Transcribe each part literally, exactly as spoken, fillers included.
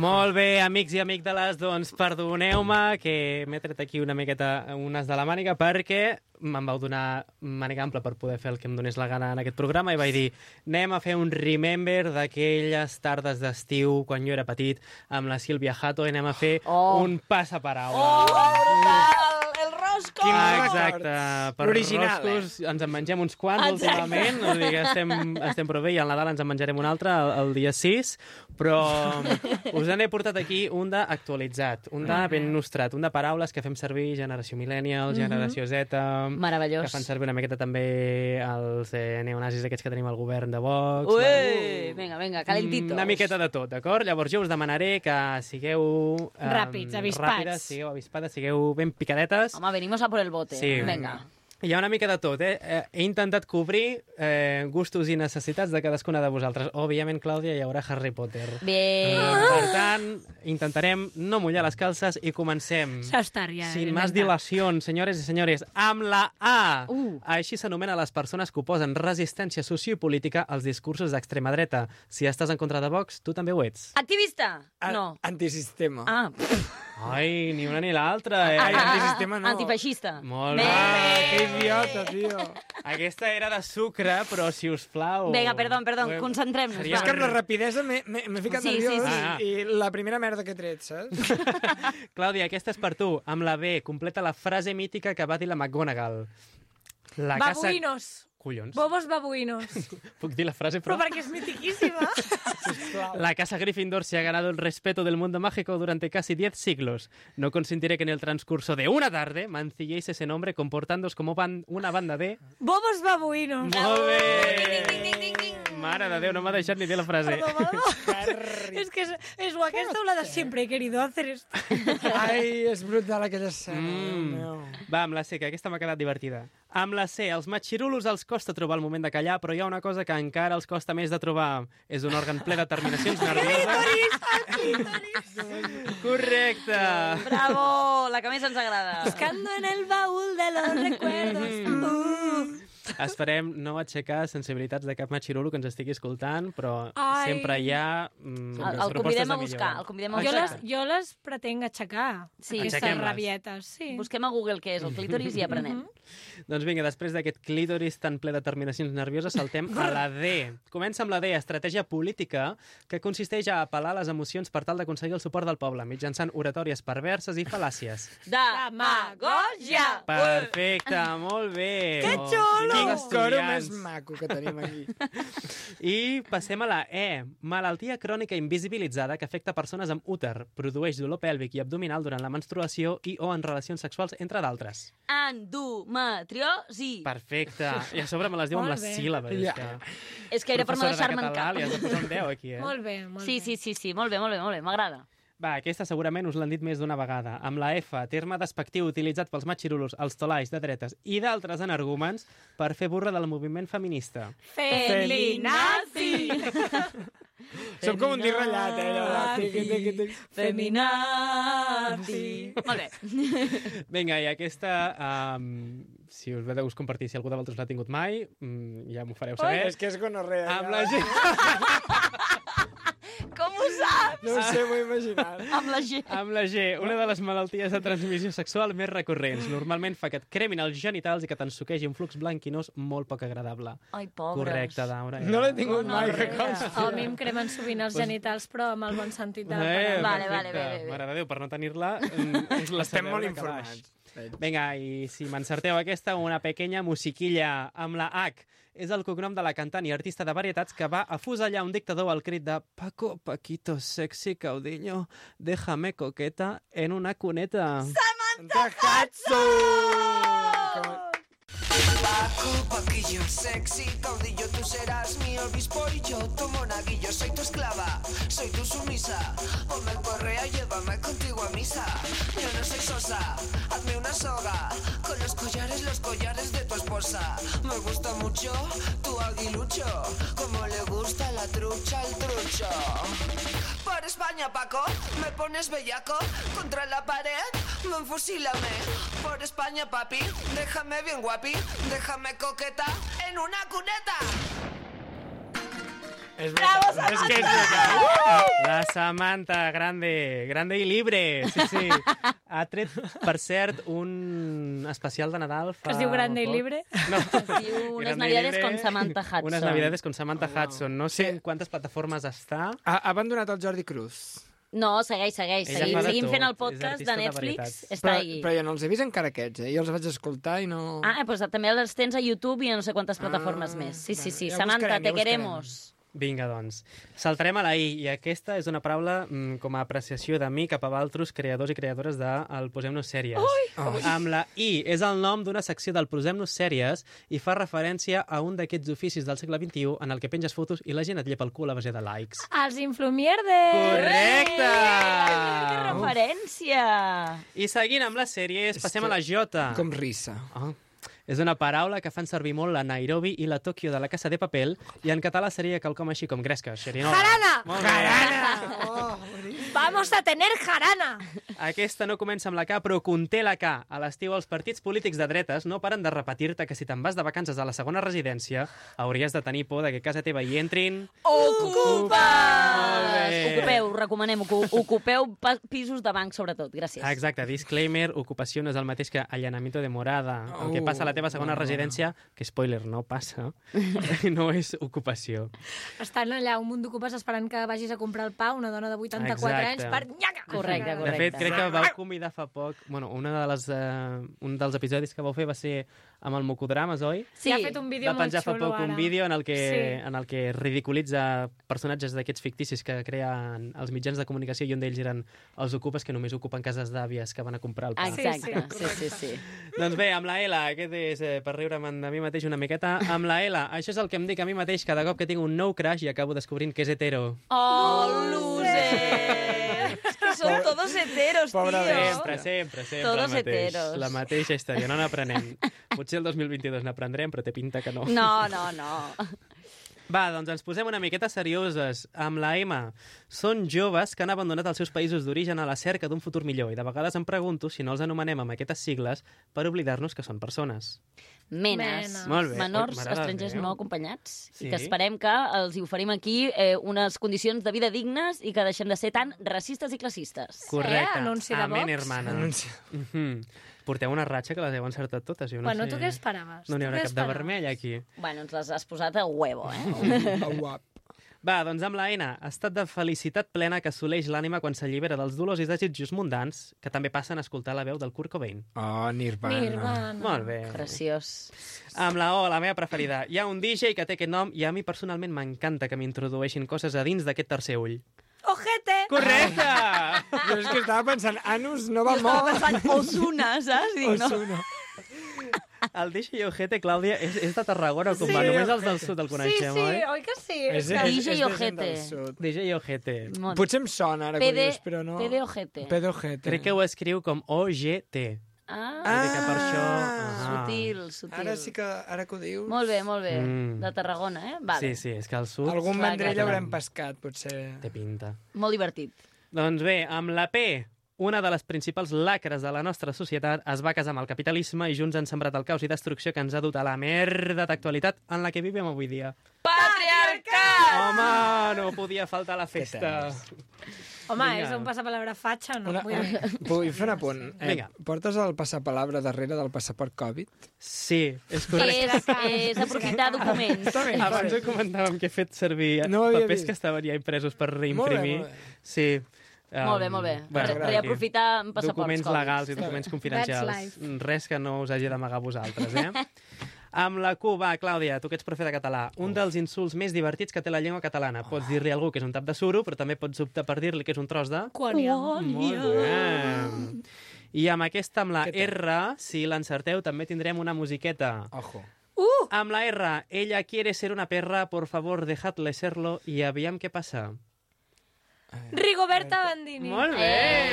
Molt bé, amics i amic de les, doncs perdoneu-me que m'he tret aquí una miqueta unes de la màniga perquè me'n vau donar màniga ampla per poder fer el que em donés la gana en aquest programa i vaig dir, anem a fer un remember d'aquelles tardes d'estiu quan jo era petit amb la Sílvia Jato i anem a fer Oh. un passaparaula. Oh, brutal! El rosco! Exacte. Per L'original, roscos ens en mengem uns quants Exacte. últimament, o sigui, estem, estem prou bé i al Nadal ens en menjarem un altre el, el dia sis, però us n'he portat aquí un d'actualitzat, un de ben nostrat, un de paraules que fem servir generació millennial, generació Z, Meravellós. que fan servir una miqueta també els eh, neonazis aquests que tenim al govern de Vox. Ui, vinga, vinga, calentitos. Una miqueta de tot, d'acord? Llavors jo us demanaré que sigueu... Eh, Ràpids, avispats. Ràpides, sigueu avispades, sigueu ben picadetes. Home, venimos a por el bote. Sí. Vinga. Hi ha una mica de tot, eh? eh? He intentat cobrir eh, gustos i necessitats de cadascuna de vosaltres. Òbviament, Clàudia, hi haurà Harry Potter. Bien. Eh, per tant, intentarem no mullar les calces i comencem. Això està ja. Sin más dilacions, senyores i senyores, amb la A. Uh. Així s'anomena les persones que oposen resistència sociopolítica als discursos d'extrema dreta. Si estàs en contra de Vox, tu també ho ets. Activista? A- No. Antisistema. Ah, Ai, ni una ni l'altra, eh? Ai, ah, antisistema no. Antifeixista. Molt Bé. bé. Ah, que idiota, tio. Aquesta era de sucre, però si us plau... Vinga, perdó, perdó, Eh, concentrem-nos. seria- És que amb la rapidesa m'he m'he- m'he ficat Sí, sí, nerviós sí. Ah, ah. i la primera merda que he tret, saps? Clàudia, aquesta és per tu. Amb la B, completa la frase mítica que va dir la McGonagall. La casa... Babuïnos. Collons. Bobos babuïnos. Puc dir la frase, Però però... perquè és mitiquíssima. La casa Gryffindor se ha ganado el respeto del mundo mágico durante casi diez siglos. No consentiré que en el transcurso de una tarde mancilléis ese nombre comportándoos como ban una banda de... Bobos babuïnos. Molt bé! Mare de Déu, no m'ha deixat ni dir la frase. Perdó, perdó. És que és, és o aquesta o la de sempre he querido hacer esto. Ai, és brutal aquella escena. Mm. Mm. Va, amb la C, que aquesta m'ha quedat divertida. Amb la C, als matxirulos els costa trobar el moment de callar, però hi ha una cosa que encara els costa més de trobar. És un òrgan ple de terminacions nervioses. Correcte. Bravo, la que més ens agrada. Buscando en el baúl de los recuerdos. Uh. Esperem no aixecar sensibilitats de cap matxirulo que ens estigui escoltant, però Ai. sempre hi ha mm, El, el propostes convidem de a buscar, millora. el convidem a Jo buscar. les, jo les pretenc aixecar, Sí. aquestes Aixequem-les. rabietes. Sí. Busquem a Google què és el clítoris i aprenem. Doncs vinga, després d'aquest clítoris tan ple de terminacions nervioses, saltem a la D. Comença amb la D, estratègia política, que consisteix a apel·lar les emocions per tal d'aconseguir el suport del poble, mitjançant oratòries perverses i fal·làcies. Demagogia! Perfecte, molt bé. Que Oh, xulo! quins El coro estudiants. més maco que tenim aquí. I passem a la E. Malaltia crònica invisibilitzada que afecta persones amb úter. Produeix dolor pèlvic i abdominal durant la menstruació i o en relacions sexuals, entre d'altres. Endometriosi. Perfecte. I a sobre me les diu amb Molt les bé. síl·labes. Ja. És que... És que era per no professora de deixar-me en català, cap. li has de posar un deu aquí, eh? Molt bé, molt Sí, bé. sí, sí, sí, molt bé, molt bé, molt bé, m'agrada. Va, aquesta segurament us l'han dit més d'una vegada. Amb la F, terme despectiu utilitzat pels matxirulos, els tolais de dretes i d'altres energúmens per fer burra del moviment feminista. Feminazi! Som com un dir ratllat, eh? allò de tiqui, tiqui, tiqui. Feminazi. Molt bé. Vinga, i aquesta, um, si us ve de gust compartir, si algú de vosaltres l'ha tingut mai, um, ja m'ho fareu Ai, saber. és que és gonorrea. Amb ja. la G... Com ho saps? No ho sé, m'ho he imaginat. Amb la G. Amb la G, una de les malalties de transmissió sexual més recurrents. Normalment fa que et cremin els genitals i que t'ensuquegi un flux blanquinós molt poc agradable. Ai, pobres. Correcte, Daura. No l'he tingut mai, que A consti. mi em cremen sovint els genitals, però amb el bon sentit de la Eh, paraula. Vale, vale, perfecte. bé, bé, bé. Mare de Déu, per no tenir-la, mm, us la Estem sabeu molt de calaix. informats. Vinga, i si m'encerteu aquesta, una pequeña musiquilla amb la H. És el cognom de la cantant i artista de varietats que va afusellar un dictador al crit de Paco, Paquito, sexy, caudillo, déjame coqueta en una cuneta. Samantha Hudson! Paco, Paquillo, sexy, caudillo, tú serás mi obispo y yo tu monaguillo. Soy tu esclava, soy tu sumisa. Ponme el correa, llévame contigo a misa. Yo no soy sosa, hazme una soga. Con los collares, los collares de tu esposa. Me gusta mucho tu aguilucho, como le gusta la trucha al trucho. Por España, Paco, me pones bellaco contra la pared, me enfusílame. Por España, papi, déjame bien guapi, déjame coqueta en una cuneta. És Bravo, Samantha! És que és veritat. La Samantha, grande, grande i libre. Sí, sí. Ha tret, per cert, un especial de Nadal. Fa Que es diu Grande i poc. Libre. No. Es diu Unes Grande i Navidades Libre. con Samantha Hudson. Unes Navidades con Samantha Oh, wow. Hudson. No sé en quantes plataformes està. Ha, ha abandonat el Jordi Cruz. No, segueix, segueix. Ella Seguim, fa de seguim tot, fent el és podcast artista de de Netflix. veritat. Està Però, ahí. però jo no els he vist encara aquests, eh? Jo els vaig escoltar i no... Ah, doncs també els tens a YouTube i a no sé quantes plataformes Ah, més. Sí, sí, bueno, sí. ja Samantha, buscarem, te ja buscarem. queremos. Vinga, doncs. Saltarem a la I, i aquesta és una paraula mm, com a apreciació de mi cap a altres creadors i creadores de el Posem-nos Sèries. Oh. Amb la I és el nom d'una secció del Posem-nos Sèries i fa referència a un d'aquests oficis del segle vint-i-u en el que penges fotos i la gent et llepa el cul a base de likes. Els influmierdes! Correcte! Que referència! I seguint amb les sèries, passem a la J. Com rissa. Oh. És una paraula que fan servir molt la Nairobi i la Tòquio de la Casa de Papel i en català seria quelcom així com gresca, xerinola. Jarana! Molt bé. Jarana! Oh, boníssim. Vamos a tener jarana! Aquesta no comença amb la K, però conté la K. A l'estiu, els partits polítics de dretes no paren de repetir-te que si te'n vas de vacances a la segona residència hauries de tenir por de que a casa teva hi entrin... Ocupa! Molt bé. Ocupeu, recomanem, ocu- ocupeu pa- pisos de banc, sobretot. Gràcies. Ah, exacte, disclaimer, ocupació no és el mateix que allanamiento de morada. El que passa a la teva segona Oh, residència, que spoiler, no passa, no és ocupació. Estan allà un munt d'ocupes esperant que vagis a comprar el pa, una dona de vuitanta-quatre Exacte. anys, per nyaca! Correcte, De fet, crec que vau convidar fa poc... Bueno, una de les, uh, un dels episodis que vau fer va ser amb el Mocodrames, oi? Sí, ha fet un vídeo Va molt penjar fa xulo poc ara. un vídeo en el que, Sí. en el que ridiculitza personatges d'aquests ficticis que creen els mitjans de comunicació i un d'ells eren els ocupes que només ocupen cases d'àvies que van a comprar el pa. Exacte, sí, sí, sí. Doncs bé, amb la L, aquest és eh, per riure'm de mi mateix una miqueta. Amb la L, això és el que em dic a mi mateix cada cop que tinc un nou crush i acabo descobrint que és hetero. Oh, loser! Es que son todos heteros, Pobra tío. bestia. Sempre, sempre, sempre Todos el mateix. heteros. La mateixa història, no n'aprenem. Potser el dos mil vint-i-dos n'aprendrem, però té pinta que no. No, no, no. Va, doncs ens posem una miqueta serioses. Amb la M, són joves que han abandonat els seus països d'origen a la cerca d'un futur millor i de vegades em pregunto si no els anomenem amb aquestes sigles per oblidar-nos que són persones. Menes. Menes. Molt bé. Menors Ui, mare de estrangers Déu. no acompanyats. Sí. I que esperem que els hi oferim aquí eh, unes condicions de vida dignes i que deixem de ser tan racistes i classistes. Correcte. anunci de Amén, Vox. hermana. Anunci. Mhm. Porteu una ratxa que les heu encertat totes. Jo no Bueno, sé... tu què esperaves? No n'hi Tu haurà què cap de esperaves? vermell, aquí. Bueno, ens les has posat a huevo, eh? Oh, guap. Va, doncs amb la N, estat de felicitat plena que assoleix l'ànima quan s'allibera dels dolors i desitjos mundans, que també passen a escoltar la veu del Kurt Cobain. Oh, Nirvana. Nirvana. Molt bé. Preciós. Amb la O, la meva preferida. Hi ha un D J que té aquest nom i a mi personalment m'encanta que m'introdueixin coses a dins d'aquest tercer ull. Ojete! Correcte! Jo és que estava pensant, Anus no va Estava molt. pensant Osuna, saps? Dic, no. Osuna. El D J Ojete, Clàudia, és, és de Tarragona, com Sí, va. Només els Ojete. del sud el Sí, coneixem, sí, oi? oi que sí? És, que- és, D J és de gent Ojete. del sud. D J Ojete. Molt. Potser em sona ara que ho P D dius, però no... P D Ojete. P D Ojete. Crec que ho escriu com O G T. Ah, Vull dir que per això... Ah. sutil, sutil. Ara sí que, ara que ho dius... Molt bé, molt bé. Mm. De Tarragona, eh? Vale. Sí, sí, és que al sud Algun Clar, mandrell clar, clar. haurem pescat, potser. té pinta. Molt divertit. Doncs bé, amb la P, una de les principals lacres de la nostra societat es va casar amb el capitalisme i junts han sembrat el caos i destrucció que ens ha dut a la merda d'actualitat en la que vivim avui dia. Patriarcat! Home, no podia faltar la festa. Home, Vinga. és un passapalabra fatxa, no? Una, Vull dir... vull fer un apunt. Eh, Vinga. Portes el passapalabra darrere del passaport Covid? Sí, és correcte. És, és aprofitar documents. Està bé, Abans ho comentàvem que he fet servir No ho havia papers vist. que estaven ja impresos per Molt bé, reimprimir. molt bé. Sí. Um, Molt bé, molt bé. bueno, Re- reaprofitar passaports documents Covid. legals i documents confidencials. life. Res que no us hagi d'amagar a vosaltres, eh? Amb la Q, va, Clàudia, tu que ets profe de català. Un dels insults més divertits que té la llengua catalana. Pots dir-li a algú que és un tap de suro, però també pots optar per dir-li que és un tros de... Quònia. Molt bé. I amb aquesta, amb la Què tal? R, si l'encerteu, també tindrem una musiqueta. Ojo. Amb la R, ella quiere ser una perra, por favor, dejadle serlo, i aviam què passa. Rigoberta Bandini. Molt bé!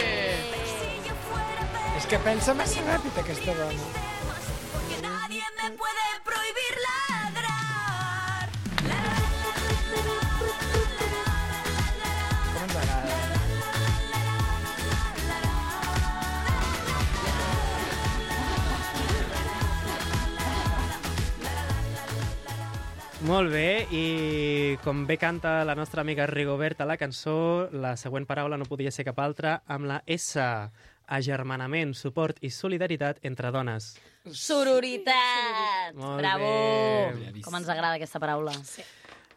És que pensa massa ràpid, aquesta dona. Porque nadie me puede prohibir ladrar. Com ens agrada. Molt bé, i com bé canta la nostra amiga Rigoberta la cançó, la següent paraula no podia ser cap altra amb la S, agermanament, suport i solidaritat entre dones. Sororitat! Molt Bravo! bé. Com ens agrada aquesta paraula. Sí.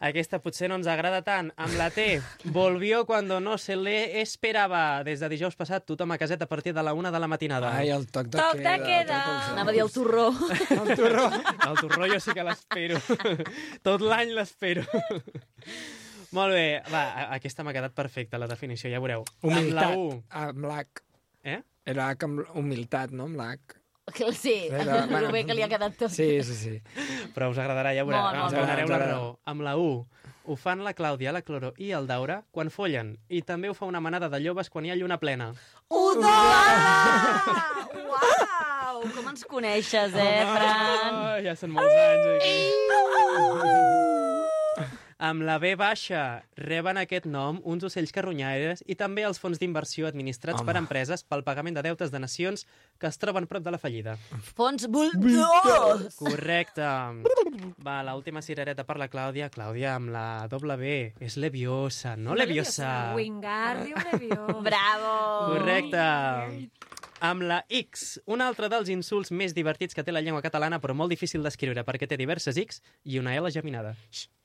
Aquesta potser no ens agrada tant. Amb la T, volvió cuando no se le esperaba. Des de dijous passat, tothom a caset a partir de la una de la matinada. Ai, el toc de Toc de queda. queda. toc de Anava a dir el torró. El torró. El torró jo sí que l'espero. Tot l'any l'espero. Molt bé. Va, a- aquesta m'ha quedat perfecta, la definició, ja veureu. Humilitat. Amb la U. Amb l'H. Eh? Era H amb humilitat, no? Amb l'H. Sí, Era- el bé que li ha quedat tot. Sí, sí, sí. Però us agradarà, ja veureu. Molt, Ens molt, donareu molt. la Ens agrada. raó. Amb la U. Ho fan la Clàudia, la Cloro i el Daura quan follen. I també ho fa una manada de lloves quan hi ha lluna plena. Udola! Uau! Com ens coneixes, eh, Fran? Oh, ja són molts anys aquí. Amb la B baixa reben aquest nom uns ocells carronyaires i també els fons d'inversió administrats Home. per empreses pel pagament de deutes de nacions que es troben prop de la fallida. Fons Bulldogs! Correcte. Va, l'última cirereta per la Clàudia. Clàudia, amb la doble B. És leviosa, no leviosa. Wingardium Leviosa. Bravo! Correcte. Amb la X, un altre dels insults més divertits que té la llengua catalana, però molt difícil d'escriure perquè té diverses X i una L geminada.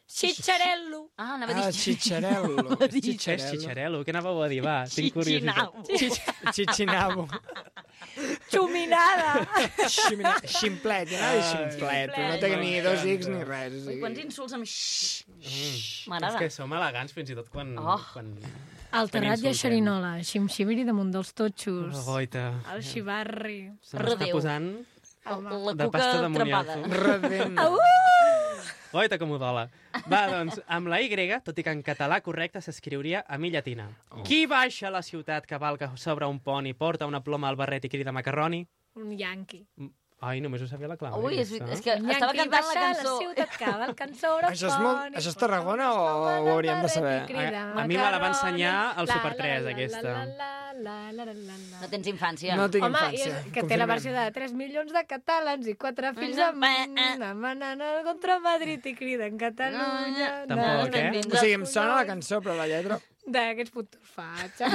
Xitxarello. Ah, anava a Ah, dir... xitxarello. És xitxarello. Què anàveu a dir? Va, tinc curiositat. Xitxinau. Xitxinabo. Xuminada. Ximina... Ximplet. Ja anava a dir ximplet. però No té ni dos X ni res. O Ui, sigui... quants insults amb xxxt. És M'agrada. que som elegants fins i tot quan... Oh. quan... El terrat i insultem. a xerinola. Ximxibiri damunt dels totxos. Oh, goita. El xivarri. Se m'està Rodeu. posant La de cuca pasta de trepada. moniato. Redent. Goita com ho dola. Va, doncs, amb la Y, tot i que en català correcte s'escriuria a mi llatina. Oh. Qui baixa a la ciutat, cavalca sobre un pont i porta una ploma al barret i crida macarroni? Un yanqui. Ai, només ho sabia la Clàudia. Ui, és, aquesta. és que Un estava yanqui cantant la baixa a cançó. la ciutat, cavalcant sobre Això és molt- això és Tarragona o ho hauríem de saber? A- a mi me la va ensenyar al Super tres, aquesta. No tens infància. No tinc Home, i infància. és, que té la versió de tres milions de catalans i quatre fills Eh, amb... eh. Demanen contra Madrid i criden Catalunya. Tampoc, na, eh? na, O sigui, em sona la cançó, però la lletra... D'aquests futurs fatxes.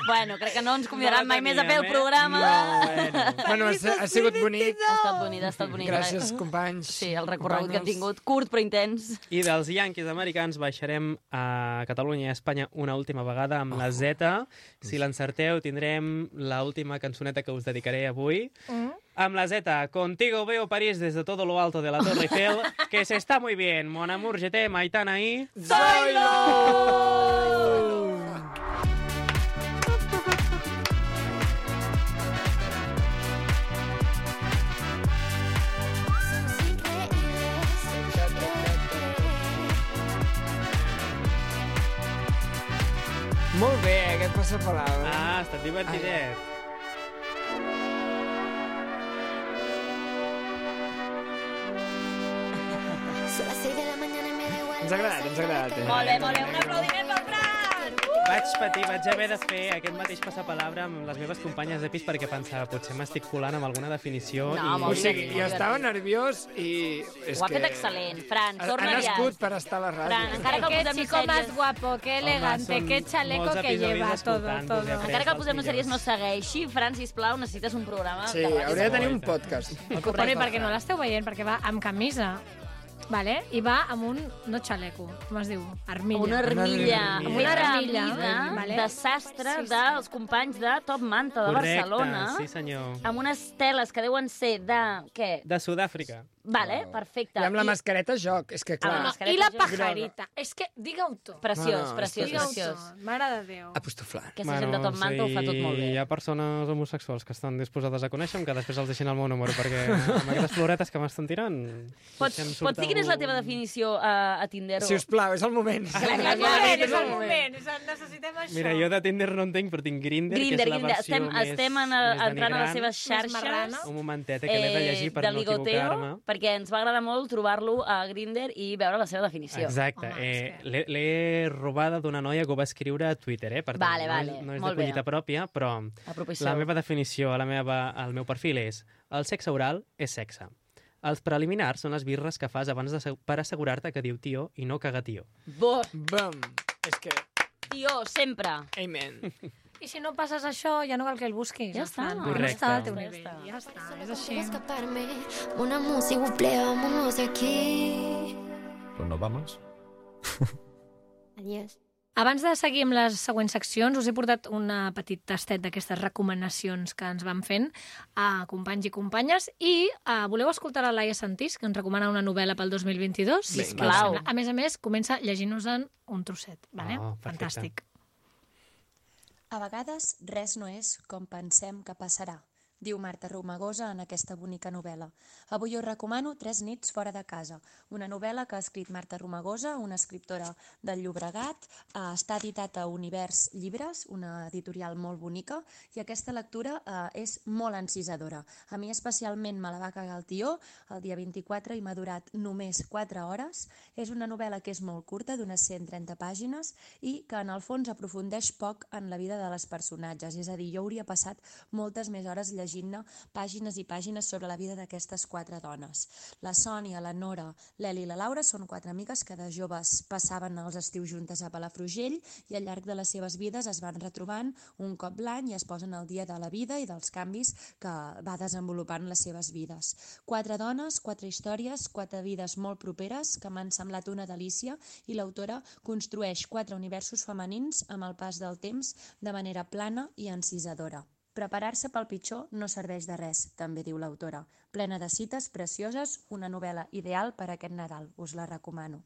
Bueno, crec que no ens convidaran No mai més a fer el teníem, eh? programa. Bueno. Bueno, ha, ha sigut bonic. Ha estat bonic, ha estat bonic. Gràcies, companys. Sí, el recorregut que hem companyes. tingut, curt però intens. I dels Yankees americans baixarem a Catalunya i a Espanya una última vegada amb la Z. Si l'encerteu, tindrem l'última cançoneta que us dedicaré avui. Mm. Amb la Z, contigo veo París desde todo lo alto de la Torre Eiffel, que se está muy bien. Mon amour, je t'aime, Aitana y... Molt bé, aquest passapalabra. Ah, ha estat divertidet. Ens ha agradat, ens ha agradat. Eh? Molt bé, molt bé. Un aplaudiment pel Fran! Vaig patir, vaig haver de fer aquest mateix passapalabra amb les meves companyes de pis perquè pensava, potser m'estic colant amb alguna definició. No, i... O molt sigui, divertit, jo molt estava divertit. nerviós i... És Ho ha que... fet excel·lent. Fran, Ha, ha torna ja. nascut per estar a la ràdio. Fran, encara que el Qué posem chico más sèries... guapo, qué elegante, són qué chaleco molts que episodis lleva, todo, escoltant-vos, todo. he après Encara que el els posem sèries no millors. segueixi, Fran, sisplau, necessites un programa Sí, de ràdio. hauria de tenir un Correcte. podcast. Bueno, i perquè no l'esteu veient, perquè va amb camisa, vale? I va amb un, no xaleco, com es diu? Armilla. Una armilla, Una una armilla, armilla vale? de sastre Sí, sí. dels companys de Top Manta de Correcte, Barcelona, sí senyor. amb unes teles que deuen ser de... què? De Sud-àfrica. Vale, perfecte. I amb la mascareta joc, és que Amb la clar... mascareta. I la Groga. pajarita. És que, digue-ho tu. Preciós, No, no, preciós, és Digue-ho preciós. tu. Mare de Déu. Apostoflant. Aquesta gent de Top Manta ho fa tot molt bé. Hi ha persones homosexuals que estan disposades a conèixer que després els deixin el meu número, perquè amb aquestes floretes que m'estan tirant... Pots, potser em surt pots dir quina és la algú- teva definició a, a Tinder? Si us plau, és el moment. Clar, clar, És clar, el moment, és és el el moment. és el- Necessitem això. Mira, jo de Tinder no en tinc, però tinc Grindr, Grindr, que és la Grindr. versió Estem, més, estem en, més entrant a les denigrant. seves xarxes. marrana. Un momentet, eh, que l'he de llegir per de no ligoteo, equivocar-me. perquè ens va agradar molt trobar-lo a Grindr i veure la seva definició. Exacte. Home, Eh, és que- l'he l'he robada d'una noia que ho va escriure a Twitter, eh? Per tant, Vale, no, vale, és, no és molt de bé. collita pròpia, però Apropiació. la meva definició, la meva, el meu perfil és el sexe oral és sexe. Els preliminars són les birres que fas abans de, per assegurar-te que diu tio i no caga tio. Bo, Bum. És que... tio, sempre. Amen. I si no passes això, ja no cal que el busquis. Ja està. No Correcte. està al teu Ja nivell. està. Ja està, és així. escaparme. Una música, s'il vous plaît, vámonos de aquí. Pues nos vamos. Adiós. Abans de seguir amb les següents seccions, us he portat una petit tastet d'aquestes recomanacions que ens van fent a companys i companyes i uh, voleu escoltar la Laia Santís, que ens recomana una novel·la pel dos mil vint-i-dos? Sisplau. A més a més, comença llegint-nos-en un trosset. Vale? Oh, perfecte. Fantàstic. A vegades res no és com pensem que passarà, diu Marta Romagosa en aquesta bonica novel·la. Avui us recomano Tres nits fora de casa, una novel·la que ha escrit Marta Romagosa, una escriptora del Llobregat. Eh, està editat a Univers Llibres, una editorial molt bonica, i aquesta lectura eh, és molt encisadora. A mi especialment me la va cagar el tió el dia vint-i-quatre i m'ha durat només quatre hores. És una novel·la que és molt curta, d'unes cent trenta pàgines, i que en el fons aprofundeix poc en la vida de les personatges. És a dir, jo hauria passat moltes més hores llegint llegint-ne pàgines i pàgines sobre la vida d'aquestes quatre dones. La Sònia, la Nora, l'Eli i la Laura són quatre amigues que de joves passaven els estius juntes a Palafrugell i al llarg de les seves vides es van retrobant un cop l'any i es posen al dia de la vida i dels canvis que va desenvolupant les seves vides. Quatre dones, quatre històries, quatre vides molt properes que m'han semblat una delícia i l'autora construeix quatre universos femenins amb el pas del temps de manera plana i encisadora. Preparar-se pel pitjor no serveix de res, també diu l'autora. Plena de cites precioses, una novel·la ideal per a aquest Nadal. Us la recomano.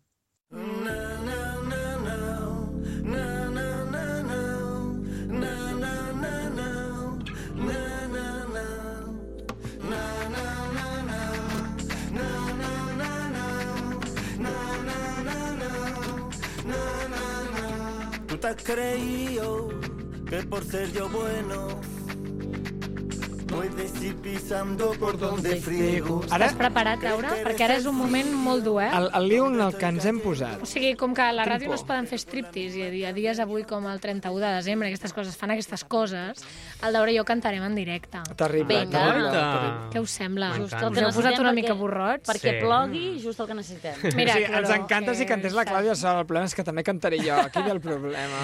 Tú te has creído que por ser yo bueno puedes ir pisando por donde friego. Ara... Estàs preparat, Laura? Perquè ara és un moment molt dur, eh? El, el liu en el que ens hem posat. O sigui, com que a la ràdio no es poden fer striptease i a dies avui com el trenta-u de desembre aquestes coses fan aquestes coses, el Daura i jo cantarem en directe. Terrible. Vinga. terrible. Què us sembla? Just el Us que heu posat necessitem una perquè- mica borrots? Perquè Sí. plogui, just el que necessitem. Mira, sí, ens Cloro, encanta si que cantés la saps. Clàudia Sol. El problema és que també cantaré jo. Aquí ve el problema.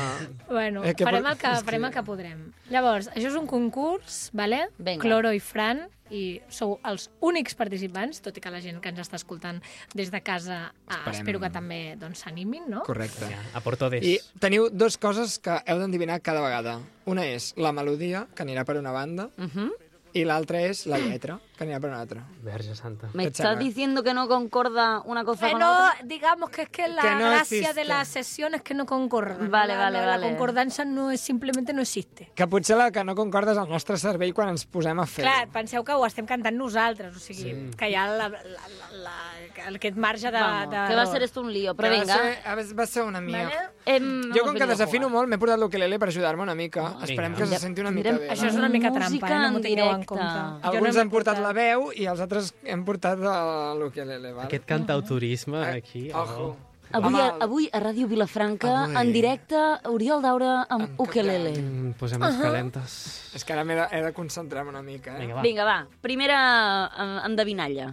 Bueno, Eh, que farem, por- el que, és que- farem el que podrem. Llavors, això és un concurs, vale? Vinga. Cloro i Fran, i sou els únics participants, tot i que la gent que ens està escoltant des de casa ah, Esperem. espero que també doncs, s'animin, no? Correcte. Ja, a por todes. I teniu dues coses que heu d'endevinar cada vegada. Una és la melodia, que anirà per una banda, Uh -huh. i l'altra és la lletra, que anirà per una altra. Verge santa. ¿Me ¿Qué estás chava? diciendo que no concorda una cosa con Bueno, otra? digamos que es que la Que no gracia existe. de la sesión es que no concordan. Vale, la, vale, la, vale. La concordança no és, simplement no existe. Que potser la que no concorda és el nostre cervell quan ens posem a fer. Clar, penseu que ho estem cantant nosaltres, o sigui, sí. que hi ha la, la, la, la, aquest marge de... Vamos, de que va a ser esto un lío, però Que vinga. Va ser, a veure, va ser una mia. Vale? Hem, Jo, hemos com que venido a desafino jugar. molt, m'he portat l'ukelele per ajudar-me una mica. Esperem que se Ja, senti una mica tindrem- bé. Això és una mica trampa, Música eh? No m'ho en tingueu en directe. compte. Jo no Alguns m'he han portat la veu i els altres hem portat el- l'ukelele. Vale? Aquest cantautorisme Eh, aquí... Ojo. Avui, Home, a, avui a Ràdio Vilafranca, Avui. en directe, Oriol Daura amb En ukelele. Mm, posem-nos uh -huh. calentes. És que ara m'he de, he de concentrar-me una mica. Eh? Vinga, va. Vinga, va, primera eh, endevinalla.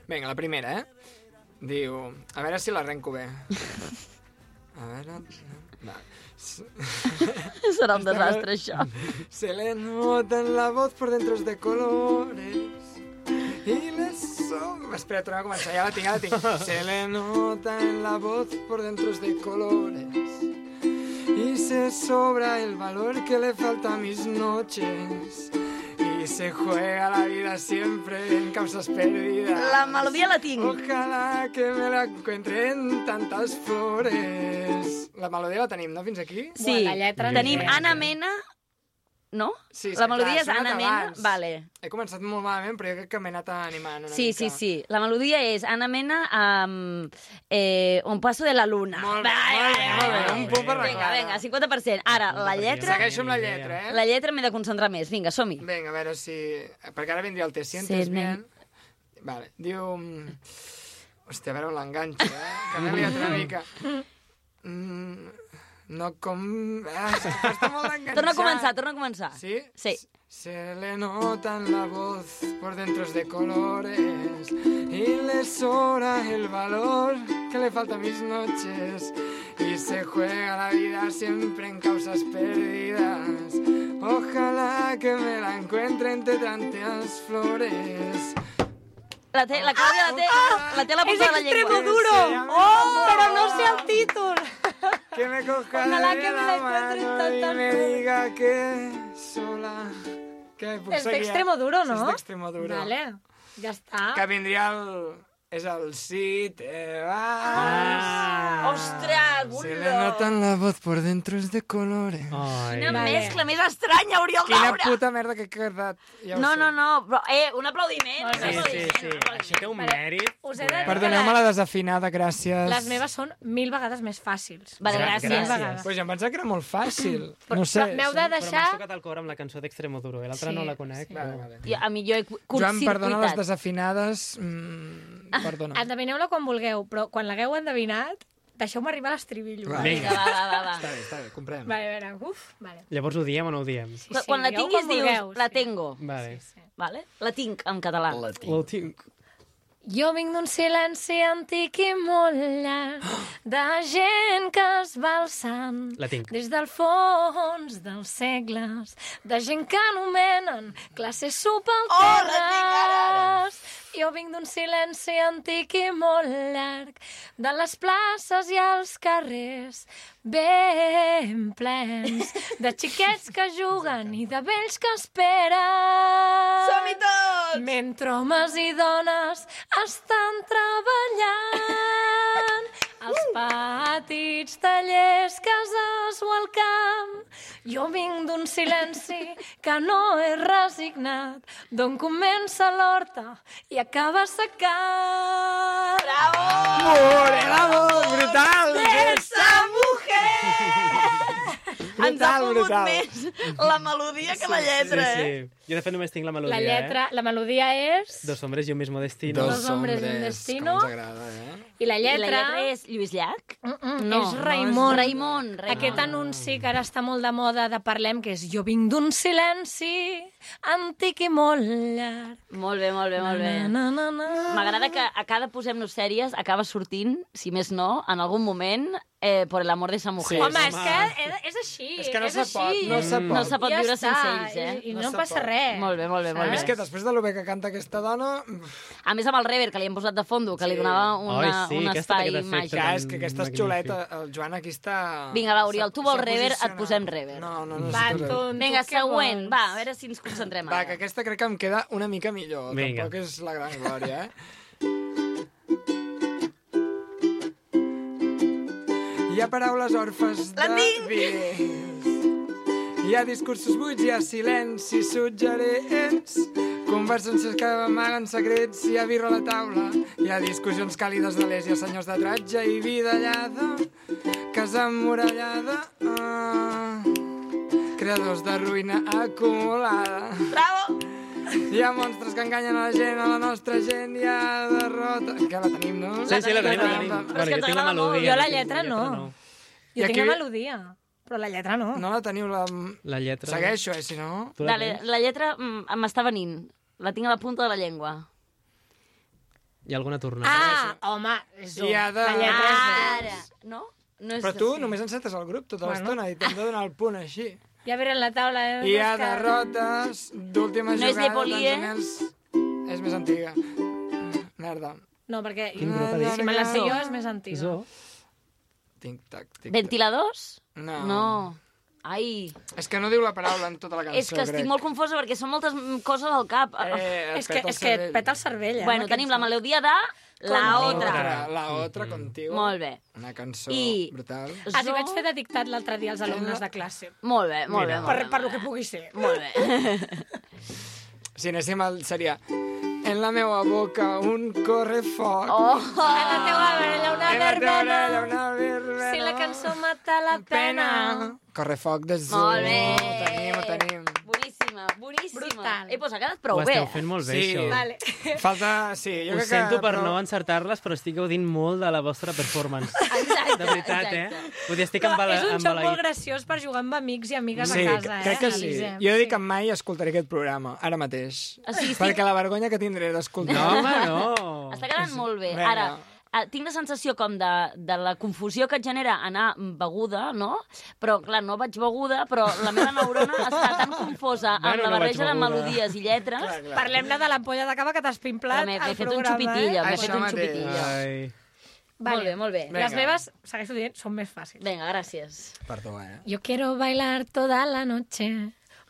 Vinga, la primera, eh? Diu... A veure si l'arrenco bé. A veure... Va. S- Serà un desastre, això. Se le nota en la voz por dentro de colores y le sobra... Espera, tornem a començar, ja la tinc, ja la tinc. Se le nota en la voz por dentro de colores y se sobra el valor que le falta a mis noches y se juega la vida siempre en causas perdidas. La melodia la tinc. Ojalá que me la encuentre en tantas flores. La melodia la tenim, no? Fins aquí? Sí, la lletra no tenim sé. Anna Mena... No? Sí, és la que, melodia clar, és s'ha Anna anat Mena... abans. Vale. He començat molt malament, però jo crec que m'he anat animant una Sí, mica. sí, sí. La melodia és Anna Mena amb eh, Un paso de la luna. Molt bé, Vale, molt bé, vale, molt bé, vale. un punt per la Vinga, Clara. vinga, cinquanta per cent. Ara, la lletra... Segueixo amb la lletra, eh? La lletra m'he de concentrar més. Vinga, som-hi. Vinga, a veure si... Perquè ara vindria el te sientes Sí, bien. Vale, diu... mm, Hòstia, a veure on l'enganxo, eh? Que m'he liat una mica. Mm, No com... Ah, és que costa molt d'enganxar. Torna a començar, torna a començar. ¿Sí? Sí. Se le nota en la voz por dentro de colores y le sobra el valor que le falta a mis noches y se juega la vida siempre en causas perdidas. Ojalá que me la encuentre entre tantas flores. La, té, la Clàudia la té, la té a la punta de la llengua. És Extremoduro! Oh, però no sé el títol. Que me coja Ojalá de que me la la encuentre mano en y tantas me flores. diga que sola... Que puc És seguir, eh? d'Extremoduro, no? És d'Extremoduro. Vale, ja està. Que vindria el... És el si te vas. Ah. Ostres, Se le Bullo! nota en la voz por dentro es de colores. Ai. Quina Vale. mescla més estranya, Oriol Quina Daura! puta merda que he quedat. Ja ho No, sé. no, no, però, eh, un aplaudiment. Molt un Sí, bé. sí, aplaudiment, sí. un aplaudiment. Això té un mèrit. Us he de dir Perdoneu-me la desafinada, gràcies. Les meves són mil vegades més fàcils. Vale, Gra- gràcies. Mil vegades. Pues jo em pensava que era molt fàcil. Però, No sé. però m'heu de Però deixar... m'has tocat el cor amb la cançó d'Extremoduro, eh? L'altra Sí, no la conec. sí. però- Vale, vale. Jo, a mi jo he Joan, perdona les curtcircuitat. desafinades. Mm, perdona. Endevineu-la quan vulgueu, però quan l'hagueu endevinat, deixeu-me arribar a l'estribillo. Va. Vinga, va, va, va. va. Està bé, està bé, comprem. Vale, a veure, uf, vale. Llavors ho diem o no ho diem? Sí, Quan- Quan la digueu tinguis com dius, vulgueu, la sí. tengo. Vale. Vale? La tinc en català. Ho tinc. Jo vinc d'un silenci antic i molt llarg, de gent que es va alçant La tinc. des del fons dels segles, de gent que anomenen classes subalternes. Jo vinc d'un silenci antic i molt llarg, de les places i els carrers ben plens, de xiquets que juguen i de vells que esperen. Som-hi tots! Mentre homes i dones estan treballant als petits tallers, cases o al camp. Jo vinc d'un silenci que no és resignat, d'on comença l'horta i acaba secant. Bravo! Bravo, brutal! Esa mujer! Ens ha Brutal, pogut brutal. més la melodia que la lletra, Sí, eh? sí. Jo, de fet, només tinc la melodia, La lletra, la melodia és... eh? Dos hombres y un mismo destino. Dos hombres y un destino. Com ens agrada, eh? I la I lletra... la lletra és Lluís Llach? Mm -mm, No, és no, Raimon. Raimon, Raimon. Aquest anunci que ara està molt de moda de Parlem, que és jo vinc d'un silenci antic i molt llarg. Molt bé, molt bé, molt bé. Na, na, na, na. M'agrada que a cada Posem-nos sèries acaba sortint, si més no, en algun moment, eh, por el amor de esa mujer. Sí, Home, home. és que és, és així. És que no és se així. pot, no se pot. No se pot Ja viure està, sense ells, eh? I, i No no, se passa pot. res. Molt bé, molt bé, molt A bé. més que després de lo bé que canta aquesta dona... A més, amb el rever que li hem posat de fondo, que li Sí. donava una, Ai, sí, un aquesta espai té aquest efecte. màgic. Ja, és que aquesta és Magnífic. xuleta. El Joan aquí està... Vinga, va, Oriol, s'ha- tu vols s'ha rever, et posicionat. posem rever. No, no, no. Va, necessito rever. tonto, Vinga, què següent. vols? Va, a veure si ens concentrem Va, ara. que aquesta crec que em queda una mica millor. Vinga. Tampoc és la gran glòria, eh? Hi ha paraules orfes La de tinc! vies. Hi ha discursos buits, hi ha silencis suggerents, conversacions que amaguen secrets, hi ha birra a la taula, hi ha discussions càlides de l'est, hi ha senyors de tratge i vida allada, casa emmurallada, ah, creadors de ruïna acumulada. Bravo! Hi ha monstres que enganyen a la gent, a la nostra gent hi ha derrota... Que la tenim, no? Sí, sí, la tenim, la tenim. Però és que Bueno, ens jo tinc la agrada molt. melodia. Jo la tinc lletra no. I Jo aquí- tinc la melodia, però la lletra no. No la teniu, la... La lletra... Segueixo, eh, si no... Tu la Dale, tens? la lletra mm, m'està venint. La tinc a la punta de la llengua. Hi ha alguna tornada? Ah, home, és I ha de- La lletra és Ara! No? No és Però tu així. només encetes el grup tota Bueno. l'estona i t'hem de donar el punt així. Ja veré en la taula. Eh? Hi ha És que- derrotes d'última No és jugada... Lepoli, eh? Tanzanians- És més antiga. Merda. No, perquè Quin grup ha dit? si me la sé jo és més antiga. Zo. Tic-tac, tic-tac. Ventiladors? No. No. Ai, És que no diu la paraula en tota la cançó, és que estic crec. molt confosa perquè són moltes mm, coses al cap. Eh, et És que, peta el és que et cervell. peta el cervell, eh? bueno, amb tenim la aquests- melodia de La Contigo. Otra. La otra contigo. Molt bé. Una cançó I- brutal. Ah, sí, vaig fer de dictat l'altre dia als alumnes de classe. Molt bé, molt Mira. bé. Per, Molt per bé, lo que pugui ser. molt bé. Si anéssim al... seria... En la meva boca un correfoc. Oh! En la teua orella una En la teva orella verbena. una verbena. Si la cançó mata la pena. Correfoc de Zoo. Molt bé. Ho tenim, ho tenim. Boníssim. boníssima, boníssima. Brutal. Eh, doncs ha quedat prou Ho bé. esteu fent molt bé, Sí. això. Vale. Falta... Sí, jo Ho crec sento que... per però- no encertar-les, però estic gaudint molt de la vostra performance. Exacte, De veritat, exacte. eh? Vull dir, estic Però embala- és un joc molt embalaït. graciós per jugar amb amics i amigues Sí, a casa, eh? crec que sí. Elisem? Jo dic que mai escoltaré aquest programa, ara mateix. O sigui, estic- Perquè la vergonya que tindré d'escoltar... No, home, no. Està quedant molt bé. Vinga. Ara, eh, tinc la sensació com de, de la confusió que et genera anar beguda, no? Però, clar, no vaig beguda, però la meva neurona està tan confosa amb Bueno, la no vaig barreja de beguda. melodies i lletres. Clar, clar. Parlem-ne de l'ampolla de cava que t'has pimplat M'he al m'he fet un programa, xupitillo, eh? m'he Això fet un mateix. xupitillo. Ai. Molt bé, molt bé. Vinga. Les meves, segueixo dient, són més fàcils. Vinga, gràcies. Perdó, eh? Yo quiero bailar toda la noche.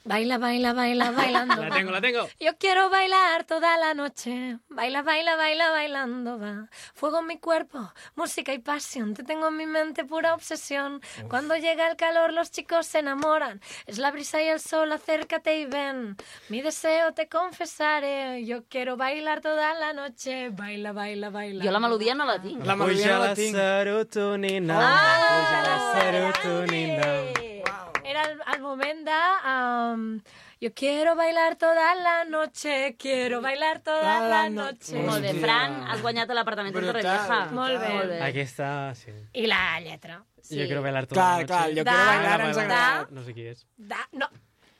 Baila, baila, baila, bailando. La tengo, la tengo. Yo quiero bailar toda la noche. Baila, baila, baila, bailando va. Fuego en mi cuerpo, música y pasión. Te tengo en mi mente pura obsesión. Cuando llega el calor los chicos se enamoran. Es la brisa y el sol, acércate y ven. Mi deseo te confesaré. Yo quiero bailar toda la noche. Baila, baila, baila. Jo la melodia no la tinc. La melodia Puja no la la tinc. serotonina. Ah! Puja la serotonina. Era el, el moment de... Um, yo quiero bailar toda la noche, quiero bailar toda La la no- noche. Molt bé, Hòstia. Fran, has guanyat l'apartament de Brutal. Torrevieja. Molt bé. Molt bé. Aquesta, sí. I la lletra. Sí. Jo quiero bailar tota Clar, la clar, noche. jo Da- quiero bailar ens Da- agrada. No sé qui és. Da, no,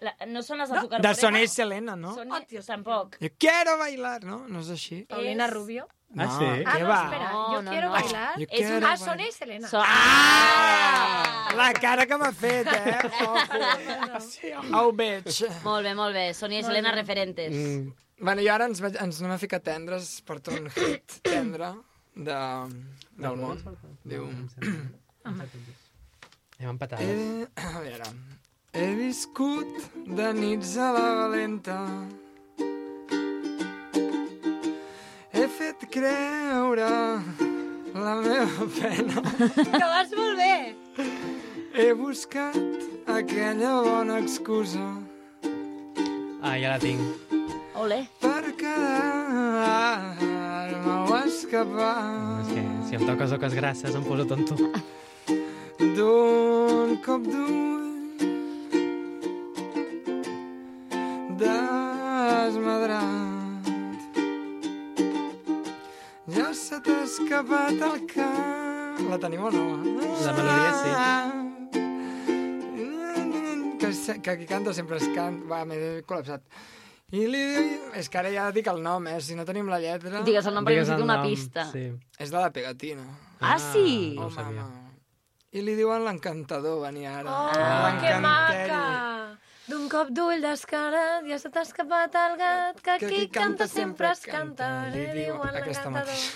La, no són les d'Azúcar De Moreno? Sonia i Selena, no? Sonia, tampoc. Jo quiero bailar, no? No és així? Paulina És- Rubio. Ah, No, sí? Ah, què no, va? espera, No, yo no, quiero no. bailar. Yo És quiero una... Ah, Sonia i Selena. So... Ah! La cara que m'ha fet, eh? Ojo. Ho veig. Molt bé, molt bé. Sonia i Selena, referentes. Mm. Bueno, i ara ens, vaig- ens anem a ficar tendres, porto un hit tendre de, del món. Diu... Hem empatat. He, a veure... He viscut de nits a la valenta. He fet creure la meva pena. Que vas molt bé. He buscat aquella bona excusa Ah, ja la tinc. Ole. per quedar-me o escapar És que si em toques oques grasses em poso tonto. d'un cop d'ull desmadrat. Ja se t'ha escapat el cap. La tenim o no? La melodia sí. Que, se- que qui canta sempre es canta. Va, m'he col·lapsat. I li diu... És que ara ja dic el nom, eh? Si no tenim la lletra... Digues el nom perquè Digues el necessito una nom, pista. Sí. És de la pegatina. Ah, sí? No ho Oh, sabia. mama. I li diuen l'encantador, venia ara. Oh, Ah. que L'encanteri. maca. D'un cop d'ull descarat ja se t'ha escapat el gat, que Que qui canta sempre es canta. Li diuen aquesta mateixa.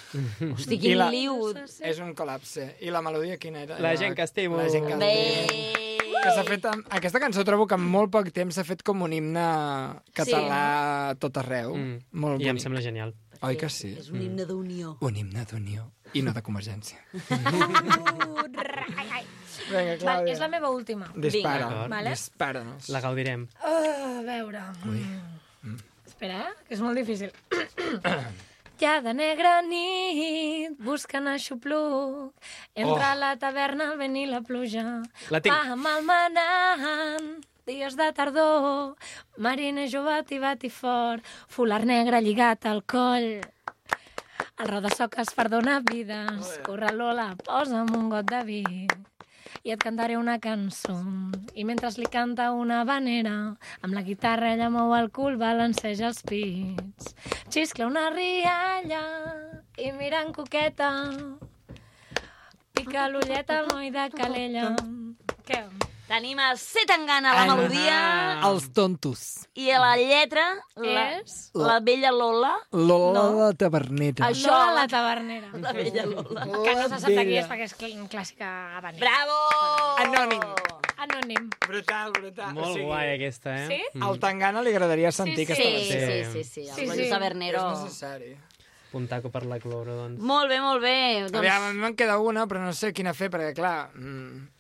Hosti, I quin la- liu. És un col·lapse. I la melodia quina era? La gent que estimo. La gent que Bé. estimo. Que s'ha fet amb... Aquesta cançó trobo que en molt poc temps s'ha fet com un himne català a tot arreu. Mm. Molt I em bonic. sembla genial. Oi que sí? És un himne d'unió. Un himne d'unió i no de convergència. Uh, rai, ai. Vinga, Val, Clàudia. és la meva última. Dispara. Vinga. Vale. Dispara-nos. La gaudirem. Uh, a veure... Mm. Espera, eh? Que és molt difícil. Ja de negra nit, buscant aixopluc, entre Oh. la taverna, el vent i la pluja. La tinc. Va malmenant, dies de tardor, mariner jove tibat i fort, folar negre lligat al coll. El roda soques perdona vides, corre Lola, posa'm un got de vi i et cantaré una cançó. I mentre li canta una vanera, amb la guitarra ella mou el cul, balanceja els pits. Xiscla una rialla i mirant coqueta, pica l'ulleta al noi de Calella. Què? Tenim el C. Tangana, la melodia, Els tontos. i a la lletra, la, És? la vella Lola. Lola No. la tavernera. Això, Lola la, la tavernera. la vella Lola. Que no se sap de qui és perquè és cl- clàssica habanera. Bravo! Anònim. Anònim. Brutal, brutal. Molt O sigui, guai, aquesta, eh? Sí? Mm. Al Tangana li agradaria sentir Sí, aquesta Sí, versió. sí, sí, sí. Sí, El sí. Lluís Tabernero. És necessari. Puntaco per la cloro, doncs. Molt bé, molt bé. Doncs... Doncs, Aviam, a mi me'n queda una, però no sé quina fer, perquè, clar... Mm,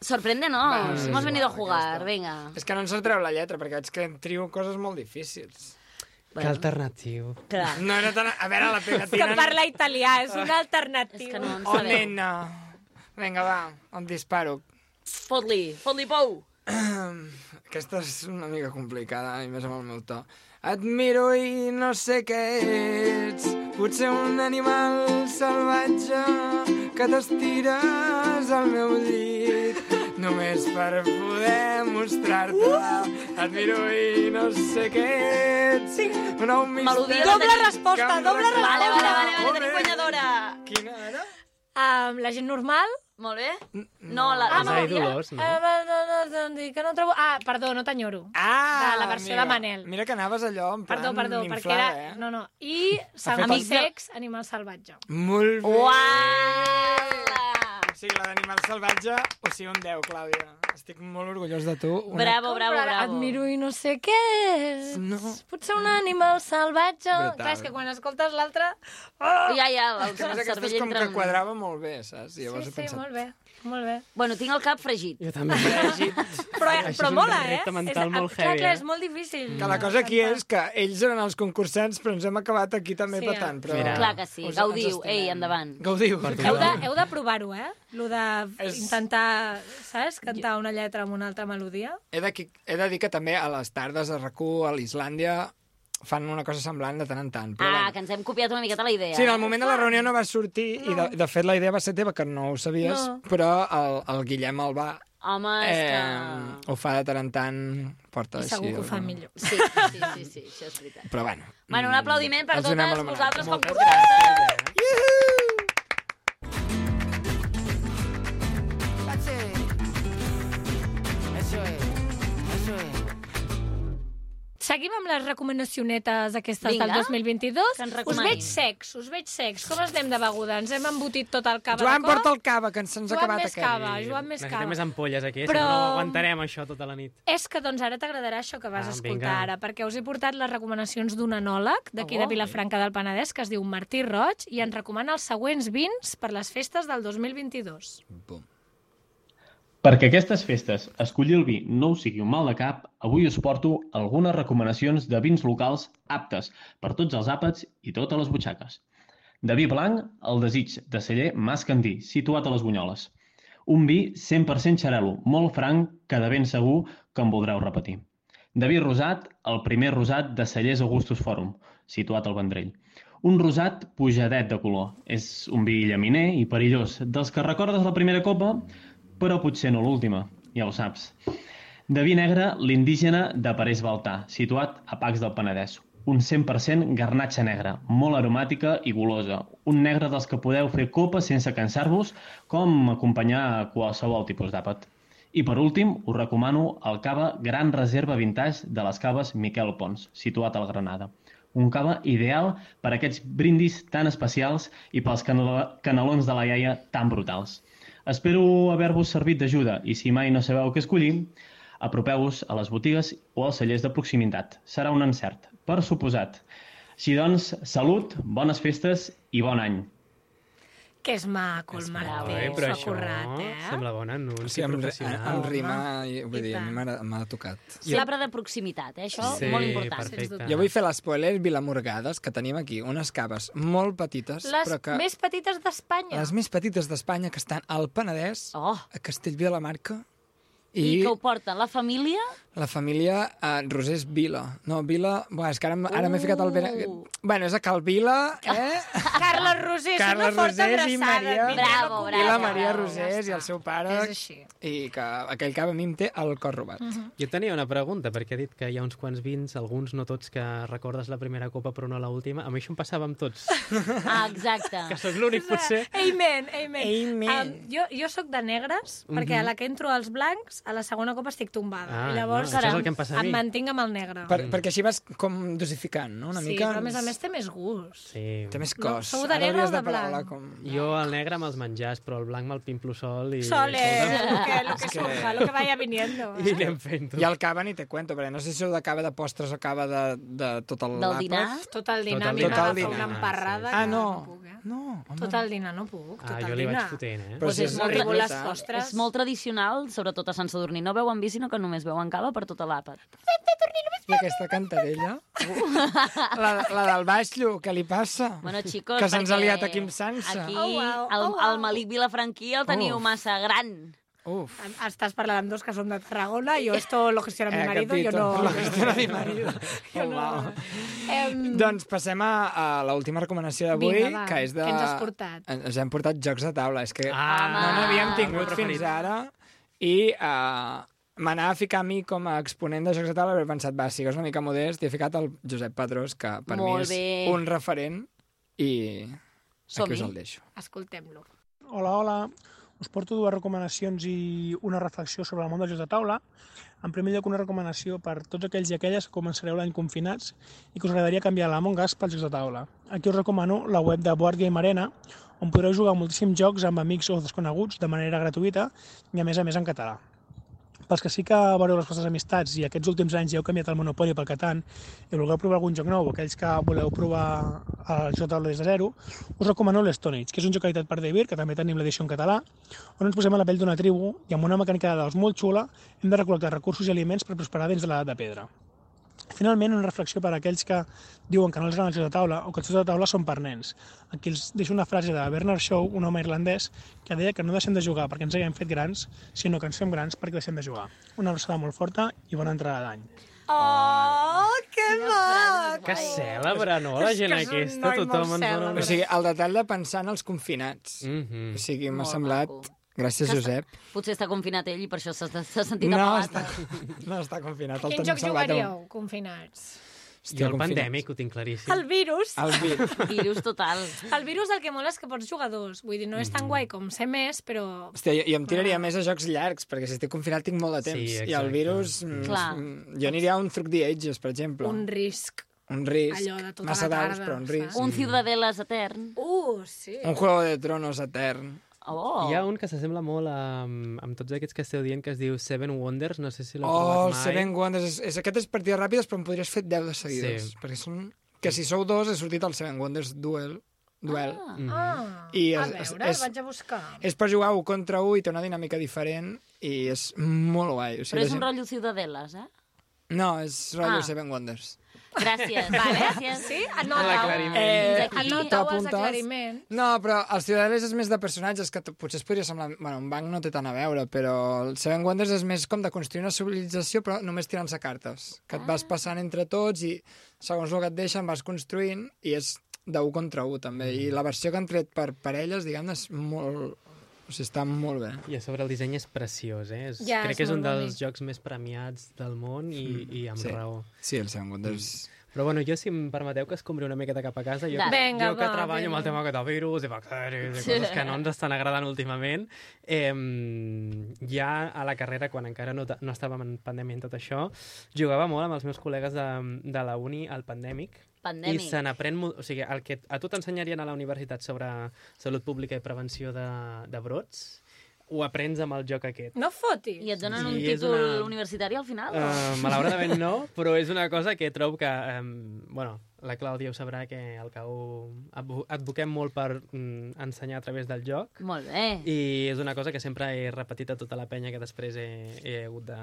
sorprende, no? Va, sí, Hemos sí, venido a va, jugar, aquesta. venga. és que no ens treu la lletra, perquè veig que trio coses molt difícils. Que alternatiu. Clar. No era tan... A veure, la Que pegatina... parla italià, és una És alternativa. que no en Oh, sabem. nena. Vinga, va, em disparo. Fot-li, fot-li pou. Aquesta és una mica complicada, i més amb el meu to. Et miro i no sé què ets, potser un animal salvatge que t'estires al meu llit, només per poder mostrar-te-la. Et miro i no sé què ets, un nou misteri... Melodia Doble tenim. resposta, que em doble resposta. Vale, vale, vale, vale, Molt tenim bé. guanyadora. Quina era? Um, la gent normal... Molt bé. No, la, Els la Idolors, no? Ah, no, no, no, no, que no trobo... Ah, perdó, no t'enyoro. Ah, De la versió mira, de Manel. Mira que anaves allò en plan Perdó, perdó, perquè inflada, era... eh? No, no. I Sant fet el- Sex, Animal Salvatge. Molt bé. Uala! O sigui, la d'animal salvatge, o sigui, un deu, Clàudia. Estic molt orgullós de tu. Una... Bravo, bravo, Però bravo. Et miro i no sé què és. No. Potser un animal salvatge. Brutal. Clar, és que quan escoltes l'altre... Oh! Ja, ja, el, Que a més el aquesta cervell és com entra que en... quadrava molt bé, saps? I Sí, llavors he sí, pensat... molt bé. Molt bé. Bueno, tinc el cap fregit. Jo també. Però, Això però és un mola, eh? repte mental és, molt clar, heavy, clar, eh? és molt difícil. Que la cosa aquí és que ells eren els concursants, però ens hem acabat aquí també Sí, petant. Però... Mira. Clar que sí. Us- Gaudiu. ens estimem. Ei, endavant. Gaudiu. Per Heu de, tothom. heu de provar-ho, eh? Lo de És- intentar, saps? Cantar una lletra amb una altra melodia. He de, he de dir que també a les tardes a RAC u, a l'Islàndia, fan una cosa semblant de tant en tant. Però Ah, bueno. que ens hem copiat una miqueta la idea. Sí, en el moment de la reunió no va sortir, no. i de, de fet la idea va ser teva, que no ho sabies, No. però el, el Guillem Albà Home, és eh, que... ho fa de tant en tant, porta I així. segur que ho fa alguna- millor. Sí, sí, sí, sí, això és veritat. Però bueno. Bueno, un aplaudiment per els donem totes l'homenatge. vosaltres com Moltes concursants. That's it. Eso es. Eso es. Seguim amb les recomanacionetes aquestes Vinga, del dos mil vint-i-dos. que ens Us recomanin. veig secs, us veig secs. Com estem de beguda? Ens hem embotit tot el cava Joan, de cor? porta el cava, que ens, ens ha Joan acabat més aquest. cava, Joan més Necessitem cava. més ampolles aquí, Però- si no, no aguantarem això tota la nit. És que doncs ara t'agradarà això que vas Ah, escoltar vinga. ara, perquè us he portat les recomanacions d'un enòleg d'aquí de Oh. Vilafranca del Penedès, que es diu Martí Roig, i ens recomana els següents vins per les festes del dos mil vint-i-dos. Bum. Perquè aquestes festes escollir el vi no us sigui un mal de cap, avui us porto algunes recomanacions de vins locals aptes per tots els àpats i totes les butxaques. De vi blanc, el Desig, de celler Mas Candí, situat a les Bunyoles. Un vi cent per cent xarel·lo, molt franc, que de ben segur que en voldreu repetir. De vi rosat, el primer rosat de cellers Augustus Fòrum, situat al Vendrell. Un rosat pujadet de color. És un vi llaminer i perillós, dels que recordes la primera copa, però potser no l'última, ja ho saps. De vi negre, l'indígena de Parés Baltà, situat a Pacs del Penedès. Un cent per cent garnatxa negra, molt aromàtica i golosa. Un negre dels que podeu fer copa sense cansar-vos, com acompanyar a qualsevol tipus d'àpat. I per últim, us recomano el cava Gran Reserva Vintage de les caves Miquel Pons, situat al Granada. Un cava ideal per a aquests brindis tan especials i pels canal canelons de la iaia tan brutals. Espero haver-vos servit d'ajuda i si mai no sabeu què escollir, apropeu-vos a les botigues o als cellers de proximitat. Serà un encert, per suposat. Així doncs, salut, bones festes i bon any. Que és maco, el Molt Martí. bé, S'ho però ha això currat, eh? sembla bon O anunci sigui, amb, professional. amb rima, i, vull I dir, a mi tant. m'ha m'ha tocat. Sempre de proximitat, eh? Això Sí, molt important. perfecte. Jo vull fer l'espoiler Vilamorgades, que tenim aquí unes caves molt petites, Les però que... més petites d'Espanya. Les més petites d'Espanya, que estan al Penedès, Oh. a Castellví de la Marca, I i, que ho porten la família... la família uh, Rosés Vila. No, Vila... Buah, és que ara, m- ara m'he ficat al... Uh. Bueno, és a Cal Vila, eh? Carles Rosés, Carles una forta Rosés i abraçada. Maria- Vinga, Bravo, no bravo. I la bravo, Maria bravo, Rosés ja i el està. seu pare, És així. i que aquell cava a mi em té el cor robat. Jo tenia una pregunta, perquè he dit que hi ha uns quants vins, alguns no tots, que recordes la primera copa però no l'última. A mi això em passava amb tots. Ah, exacte. Que sóc l'únic, potser. Amen, amen. Amen. Um, jo, jo sóc de negres, perquè a la que entro als blancs, a la segona copa estic tombada. Ah, I llavors no, això és el que em passa a mi. em mantinc amb el negre. Per, perquè així vas com dosificant, no? Una sí, mica... però a més a més té més gust. Sí. Té més cos. sou de Ara negre o hauries de parar-la blanc? Com... Jo el negre me'ls menjars, però el blanc me'l pimplo sol i... Sole, lo que, lo que que- surja, lo que vaya viniendo. I Eh? anem fent-ho. I el cava ni te cuento, perquè no sé si sou de cava de postres o cava de, de tot el Del dinar? Tot el dinar, Tot el a mi dinar. m'agafa Tot el una dinar, emparrada Ah, que no. no puc, eh? No, home. Tot el dinar no puc, tot Ah, el jo li vaig dinar. fotent, eh? Però Pues si és és molt veritat. les postres. És molt tradicional, sobretot a Sant Sadurní. No beuen vi, sinó que només beuen cava per tota l'àpat. I aquesta cantarella? la, la del baixlo, què li passa? Bueno, xicos, Que se'ns ha perquè liat aquí amb Sansa. Aquí, Oh, wow, el, oh, wow. el Malik Vilafranquí el teniu Uf. massa gran. Uf. Estàs parlant amb dos que són de Tarragona, jo esto lo gestiona mi Eh, marido, jo capito, no... lo gestiona mi marido. Jo Oh, no. wow. Em, Doncs passem a, a l'última recomanació d'avui, Vinga, va, que és de... què ens has portat? Ens hem portat jocs de taula. És que Ah, no n'havíem el meu tingut preferit. fins ara i uh, m'anava a ficar a mi com a exponent de jocs de taula, però he pensat, va, sigues una mica modest, i he ficat el Josep Pedrós, que per Molt mi és bé. un referent, i Som-hi. aquí us el deixo. Escoltem-lo. Hola, hola. Us porto dues recomanacions i una reflexió sobre el món dels jocs de taula. En primer lloc, una recomanació per tots aquells i aquelles que començareu l'any confinats i que us agradaria canviar l'Among Us pels jocs de taula. Aquí us recomano la web de Board Game Arena, on podreu jugar moltíssims jocs amb amics o desconeguts de manera gratuïta i, a més a més, en català. Pels que sí que veureu les vostres amistats i aquests últims anys ja heu canviat el Monopoly pel Catan i voleu provar algun joc nou, o aquells que voleu provar el joc de taula des de zero, us recomano l'Stone Age, que és un joc editat per David, que també tenim l'edició en català, on ens posem a la pell d'una tribu i amb una mecànica de daus molt xula hem de recol·lectar recursos i aliments per prosperar dins de l'edat de pedra. Finalment, una reflexió per a aquells que diuen que no els agraden els jocs de taula o que els jocs de taula són per nens. Aquí els deixo una frase de Bernard Shaw, un home irlandès, que deia que no deixem de jugar perquè ens haguem fet grans, sinó que ens fem grans perquè deixem de jugar. Una abraçada molt forta i bona entrada d'any. Oh, que maco! Que cèlebre, no? La gent És que és un aquesta, noi tothom molt ens dona... cèlebre. O sigui, el detall de pensar en els confinats. Mhm. O sigui, m'ha Molt semblat... maco. Gràcies, Que Josep. Potser està confinat ell i per això s'ha s'ha sentit No apagat. està, no està confinat. El Quin tenim joc salvat. jugaríeu, confinats? Jo el confinats. pandèmic ho tinc claríssim. El virus. El vir. Virus total. El virus el que mola és que pots jugar dos. Vull dir, no és tan guai com ser més, però... Hòstia, jo, jo em tiraria més a jocs llargs, perquè si estic confinat tinc molt de temps. Sí, I el exacte. virus... mm, Clar. mm, Jo aniria a un Through the Ages, per exemple. Un risc. Un risc. Allò de tota Massa la daus, tarda, però un saps? risc. Un Ciudadelas etern. Uh, sí. Un Juego de Tronos etern. Oh. Hi ha un que s'assembla molt a, amb tots aquests que esteu dient, que es diu Seven Wonders, no sé si l'heu Oh, el provat mai. Seven Wonders. És, és, aquest és partides ràpides, però en podries fer deu de seguides. Sí. Perquè són... Que si sou dos, he sortit el Seven Wonders Duel. Duel. Ah. Mhm. Ah, I a és- veure, és- el vaig a buscar. És per jugar un contra un i té una dinàmica diferent i és molt guai. O sigui, Però és la un gent- rotllo Ciudadelas, eh? No, és rotllo Ah. Seven Wonders. Gràcies. Vale. Gràcies. Sí? Anotau, L'aclariment. Eh, Fins aquí. anotau els t'apuntes? aclariments. No, però els Ciudadelas és més de personatges, que t- potser es podria semblar... Bueno, un banc no té tant a veure, però el Seven Wonders és més com de construir una civilització, però només tirant-se cartes. Que et vas passant entre tots i segons el que et deixen vas construint i és d'un contra un, també. I la versió que han tret per parelles, diguem-ne, és molt... O sigui, està molt bé. I a sobre el disseny és preciós, eh? És, Ja, crec és que és un molt dels bonic. jocs més premiats del món i, i amb Sí. raó. Sí, el Seven Wonders... Però bueno, jo, si em permeteu que es compri una miqueta cap a casa, jo, Dale. Vinga, jo que va, treballo amb el vinga. tema aquest de virus i bacteris i coses que no ens estan agradant últimament, eh, ja a la carrera, quan encara no, no estàvem en pandèmia i tot això, jugava molt amb els meus col·legues de, de la uni al pandèmic. Pandèmic. I se n'aprèn molt... O sigui, el que a tu t'ensenyarien a la universitat sobre salut pública i prevenció de, de brots, ho aprens amb el joc aquest. No fotis. I et donen Sí, un és títol una- universitari al final? Uh, malauradament no, però és una cosa que trobo que... Um, bueno, la Clàudia ho sabrà, que al C A U advo- advoquem molt per mm, ensenyar a través del joc. Molt bé. I és una cosa que sempre he repetit a tota la penya, que després he, he hagut de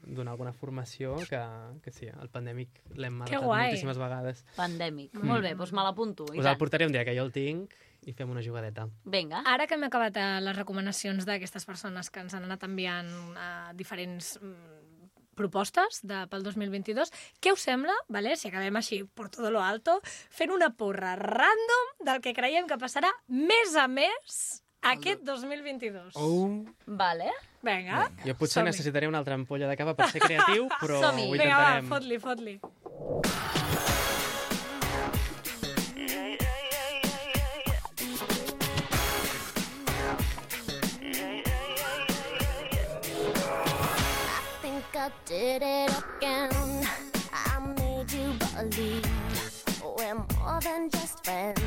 donar alguna formació, que, que sí, el pandèmic l'hem Que matat guai. moltíssimes vegades. Pandèmic. Mm. Molt bé, doncs me l'apunto. i Us el tant. portaré un dia, que jo el tinc, i fem una jugadeta. Vinga. Ara que hem acabat eh, les recomanacions d'aquestes persones que ens han anat enviant eh, diferents mm, propostes de, pel dos mil vint-i-dos, què us sembla, vale, si acabem així por todo lo alto, fent una porra random del que creiem que passarà més a més aquest dos mil vint-i-dos? Oh. Vale. Vinga. Jo potser Som-hi. necessitaré una altra ampolla de cava per ser creatiu, però Som-hi. ho Vinga, va, intentarem. fot-li, fot-li. I think I did it again. I made you believe we're more than just friends.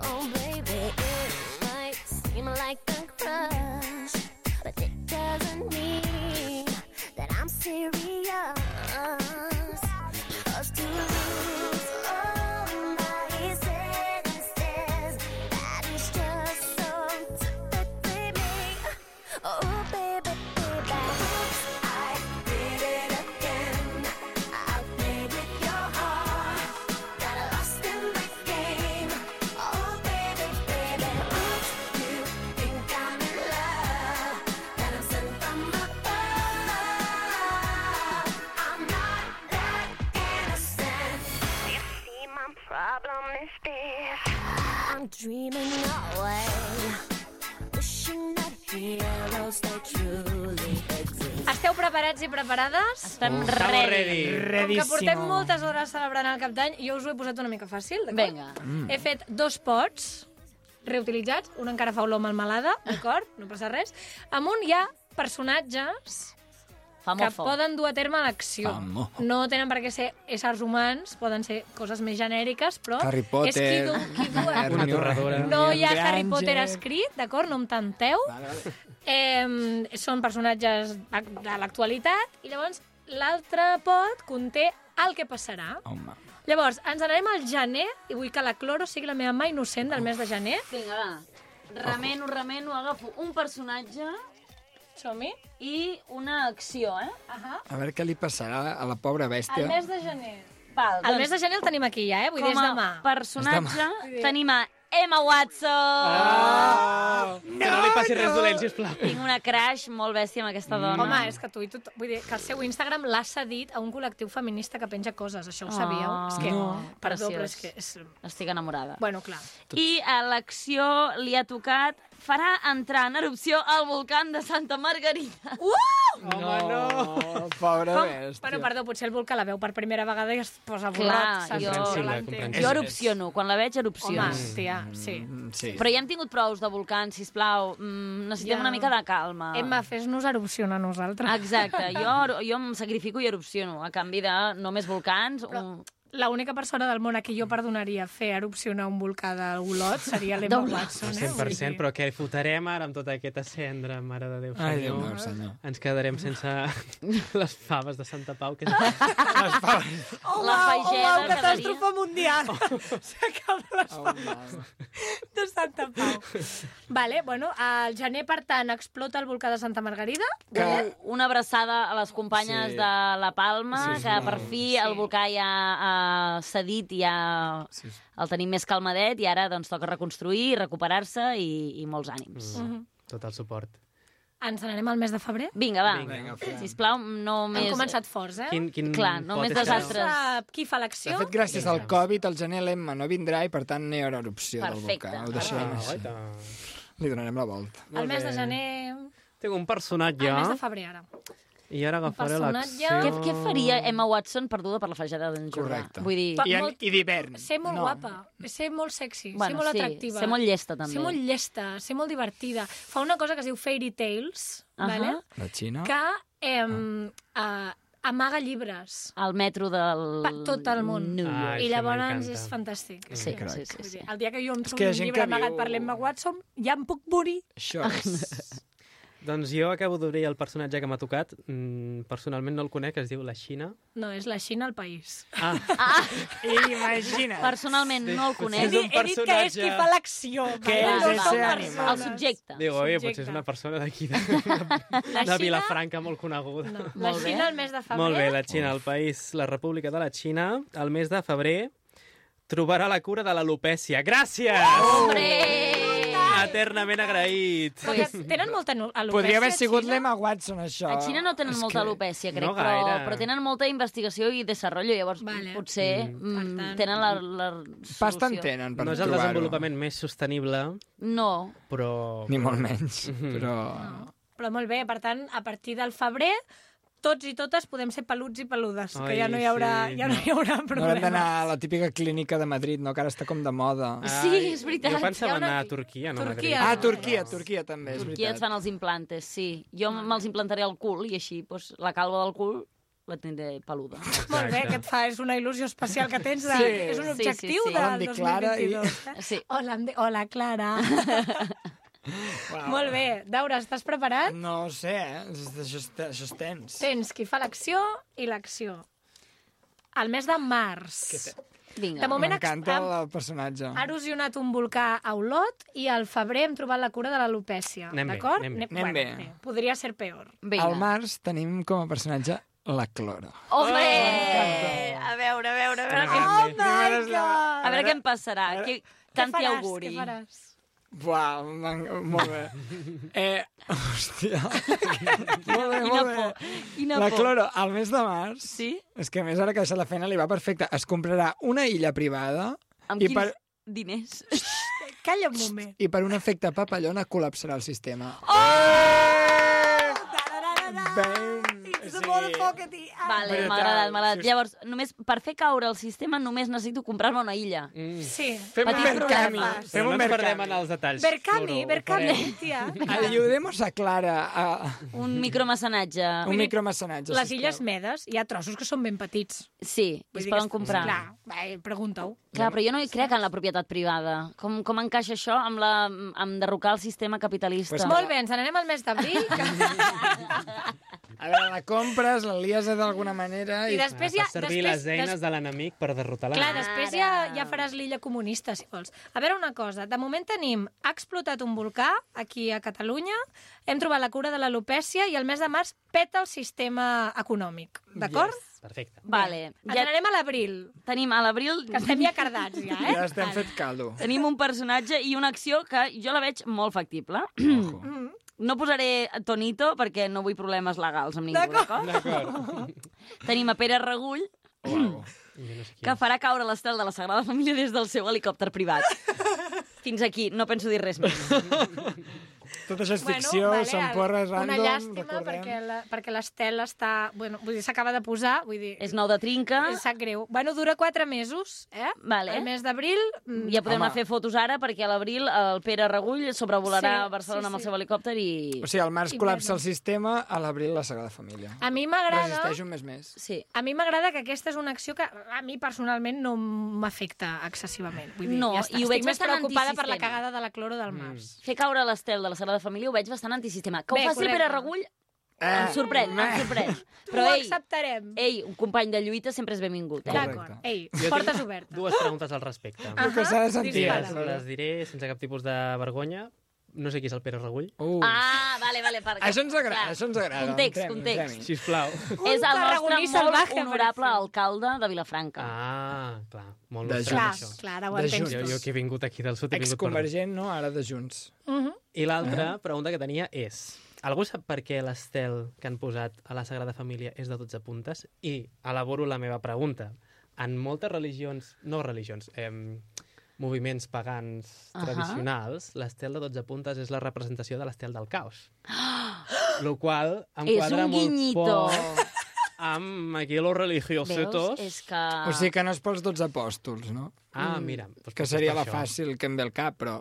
Oh, baby, it might seem like a crush, but it doesn't mean that I'm serious. 'Cause to lose all my senses, that is just so typically me. Oh, baby, baby, I did it again. I played with your heart, got lost in the game. problem is this. I'm dreaming away, wishing that heroes they truly exist. Esteu preparats i preparades? Estem Estamos ready. ready. Com que portem Redíssimo. moltes hores celebrant el Cap d'Any, jo us ho he posat una mica fàcil, d'acord? Vinga. Mm. He fet dos pots reutilitzats, un encara fa olor melmelada, d'acord? No passa res. Amunt hi ha personatges Fa que molt foc. poden dur a terme l'acció. Famo. No tenen per què ser éssers humans, poden ser coses més genèriques, però Harry és qui Potter, du, qui du a... Una torradora. No hi ha Henry Harry Potter Ángel. escrit, d'acord? No em tenteu. Vale, vale. Eh, són personatges de l'actualitat i llavors l'altre pot conté el que passarà. Home. Llavors, ens n'anem al gener i vull que la Cloro sigui la meva mà innocent del mes de gener. Vinga, va. Remeno, remeno, agafo un personatge Som-hi. i una acció, eh? Uh-huh. A veure què li passarà a la pobra bèstia. El mes de gener. Val, El mes de gener el tenim aquí ja, eh? Vull dir, és com a demà. personatge tenim a Emma Watson. Oh! Que no li passi res dolent, sisplau. Tinc una crash molt bèstia amb aquesta dona. Home, és que tu i tot... Vull dir, que el seu Instagram l'ha cedit a un col·lectiu feminista que penja coses. Això ho sabíeu? Oh, és que... no. Perdó, Preciós. però és que... És... Estic enamorada. Bueno, clar. I a l'acció li ha tocat farà entrar en erupció el volcán de Santa Margarida. Uh! Home, no. Pobra Com? bèstia. Bueno, perdó, potser el volcà la veu per primera vegada i es posa borrat. Clar, saps? jo- Jo Comprensible, l'entenc. comprensible. Jo erupciono, quan la veig erupciono. Home, tia, sí. Mm, sí. Però ja hem tingut prous de volcans, sisplau. Mm, necessitem Ja. una mica de calma. Emma, fes-nos erupcionar a nosaltres. Exacte, jo, jo em sacrifico i erupciono, a canvi de no més volcans. Un... L'única persona del món a qui jo perdonaria fer erupcionar un volcà d'Olot seria l'Emma D'Olot. Watson. Eh? cent per cent, però què fotrem ara amb tota aquesta cendra, mare de Déu, Ai, Déu senyor? meu, senyor. Ens quedarem sense les faves de Santa Pau. Que... La fageda Home, catàstrofe mundial. S'acaben les Oh, faves mal. de Santa Pau. Vale, bueno, al gener, per tant, explota el volcà de Santa Margarida. Que... Una abraçada a les companyes Sí. de La Palma, Sí, que sisplau. per fi el volcà ja ha cedit, ja Sí, sí. el tenim més calmadet i ara doncs toca reconstruir, recuperar-se i, i molts ànims. Mm. Tot el suport. Ens n'anem al mes de febrer? Vinga, va, Vinga, Fran. sisplau, no Hem més... començat forts, eh? Quin, quin Clar, no pot més és que desastres. Sap qui fa De l'acció? fet, gràcies al Covid, el gener l'Emma no vindrà i, per tant, no hi haurà erupció Perfecte. del volcà. Ho deixarem Ah, així. guaita. Li donarem la volta. El mes de gener... Tinc un personatge El mes de febrer, ara. i ara agafaré personatge- l'acció. Què, què faria Emma Watson perduda per la fageda d'en Jordà? Correcte. Vull dir... Pa- I, en, molt- i d'hivern. Ser molt no. guapa, ser molt sexy, ser Bueno, molt sí, atractiva. ser molt llesta, també. Ser molt llesta, ser molt divertida. Fa una cosa que es diu Fairy Tales, Ahà. vale? La Xina? que eh, uh, amaga llibres Al metro del... per tot el món. New York. Ai, I això llavors m'encanta. és fantàstic. Sí, crac. sí, sí, Vull sí. dir, el dia que jo em que trobo hi ha un gent llibre que amagat diu- per l'Emma Watson, ja em puc morir. Això és... Doncs jo acabo d'obrir el personatge que m'ha tocat. Mm, personalment no el conec, es diu La Xina. No, és la Xina al país. Ah, Imagina't. Personalment no el És conec. un He dit que és personatge. qui fa l'acció. Què vale? és No ese són animal? persones. El subjecte. diu, oi, Subjecte. potser és una persona d'aquí, de, La de Xina- Vilafranca, molt coneguda. No. La Molt bé. Xina al mes de febrer. Molt bé, la Xina, el país, la República de la Xina, el mes de febrer, trobarà la cura de l'alopècia. Gràcies! Hombre! Eternament agraït. Perquè tenen molta no- alopècia. Podria haver sigut Xina. l'Emma Watson, això. A Xina no tenen És molta que- alopècia, crec, No però, gaire. però tenen molta investigació i desenvolupament, llavors Vale. potser Mm. mm, Per tant- tenen la, la Pasta en solució. tenen per No és el trobar-ho. desenvolupament més sostenible, No. però... Ni molt menys, però... Però molt bé, per tant, a partir del febrer, tots i totes podem ser peluts i peludes, Ai, que ja no hi haurà, sí, ja no hi haurà No problema. haurem d'anar a la típica clínica de Madrid, no? Que ara està com de moda. Sí, és veritat. Jo pensava Hi ha una- anar a Turquia, no a Madrid. Turquia. Ah, Turquia, Turquia també, és Turquia et veritat. fan els implantes, sí. Jo me'ls implantaré al cul i així doncs, la calva del cul la tindré peluda. Molt bé, que et fa, és una il·lusió especial que tens. De, Sí, és un sí, objectiu sí, sí. Hola, em del dic Clara i- dos mil vint-i-dos. Eh? Sí. Hola, em di... Hola, Clara. Wow. Molt bé. Daura, estàs preparat? No ho sé, eh? Això és, això és tens. Tens qui fa l'acció i l'acció. El mes de març. Vinga. De moment M'encanta ha, el personatge. ha erosionat un volcà a Olot i al febrer hem trobat la cura de l'alopècia. Anem bé, D'acord? anem bé. Anem bé. Podria ser peor. Vinga. Al març tenim com a personatge la Cloro. Hombre! A veure, a veure, a veure, Oh, què, my a veure què em passarà. Què, Què canti faràs? auguri. Què faràs? Buah, m'en- molt bé. Eh, hòstia. molt bé, Quina molt bé. por, quina La por. Cloro, al mes de març, Sí? és que a més ara que ha deixat la feina li va perfecte, es comprarà una illa privada Amb I quins per- diners? Calla un moment. I per un efecte papallona col·lapsarà el sistema. Ben... It's a motherfucker, tia. Vale, Brutal. m'ha agradat, m'ha agradat. Si us- Llavors, només, per fer caure el sistema només necessito comprar-me una illa. Mm. Sí. Fem un Petits mercami. problemes. Fem Però un no ens perdem mercami. en els detalls. Berkami, Suro, ho Berkami, farem. tia. Ayudemos a Clara a Un micromecenatge. un micromecenatge. Les sisplau. Illes Medes hi ha trossos que són ben petits. Sí, i Vull es dir poden que- comprar. Clar, vai, pregunta-ho. Clar, però jo no hi crec en la propietat privada. Com, com encaixa això amb, la, amb derrocar el sistema capitalista? Pues Molt bé, ens n'anem al mes d'abril. A veure, la compres, la lies d'alguna manera I i... després Ah, ja... fas servir després, les eines des- de l'enemic per derrotar Clar, l'enemic. després ja, ja faràs l'illa comunista, si vols. A veure una cosa, de moment tenim, ha explotat un volcà aquí a Catalunya, hem trobat la cura de l'alopècia i el mes de març peta el sistema econòmic, d'acord? Yes, perfecte. Vale, Ens ja n'anem a l'abril, tenim a l'abril... que estem ja cardats, ja, eh? Ja estem fet caldo. Tenim un personatge i una acció que jo la veig molt factible. Ojo. No posaré Tonito perquè no vull problemes legals amb ningú, d'acord? D'acord. Tenim a Pere Regull, Uau. Jo no sé qui que farà caure l'estel de la Sagrada Família des del seu helicòpter privat. Fins aquí, no penso dir res més. Tot això és ficció, vale, són porres una random, llàstima recordem. perquè la- perquè l'Estel està... Bueno, vull dir, s'acaba de posar, vull dir... És nou de trinca. Em sap greu. Bueno, dura quatre mesos, eh? Vale. El mes d'abril... mm, Ja podem Home. anar a fer fotos ara perquè a l'abril el Pere Regull sobrevolarà Sí, Barcelona sí, amb el sí. seu helicòpter i... O sigui, al març I col·lapsa bueno. el sistema, a l'abril la Sagrada Família. A mi m'agrada... Resisteix un mes més. Sí. A mi m'agrada que aquesta és una acció que a mi personalment no m'afecta excessivament. Vull dir, No, ja està. i ho veig Estic més bastant preocupada per la antisistema. cagada de la cloro del març. Fer caure l'estel de la Sagrada Família ho veig bastant antisistema. Que ho Bé, faci correcte. Pere Regull em sorprèn, em sorprèn. Però Ho ei, acceptarem. ei, un company de lluita sempre és benvingut. Eh? D'acord. Ei, Jo portes tinc obertes. dues preguntes al respecte. El que s'ha de sentir. Les, dispara. les diré sense cap tipus de vergonya. No sé qui és el Pere Regull. Uh. Ah, vale, vale. Per... Això ens agrada, Clar. això ens agrada. Context, Entrem-hi, context. entrem-hi. Sisplau. És el nostre tarragoní molt salvaje, honorable parece. alcalde de Vilafranca. Ah, clar. Molt De nostre, Clar, això. clar, ara ho De entenc. Jo, jo que he vingut aquí del sud he vingut per... Exconvergent, no? Ara de Junts. Mhm. I l'altra pregunta que tenia és... Algú sap per què l'estel que han posat a la Sagrada Família és de dotze puntes? I elaboro la meva pregunta. En moltes religions, no religions, eh, moviments pagans Ahà. tradicionals, l'estel de dotze puntes és la representació de l'estel del caos. Lo qual em És quadra un molt guinyito. poc amb aquí los Veus? religiosetos. És que... O sigui que no és pels dotze apòstols, no? Ah, mira. Doncs Que potser seria per la això. fàcil que em ve al cap, però...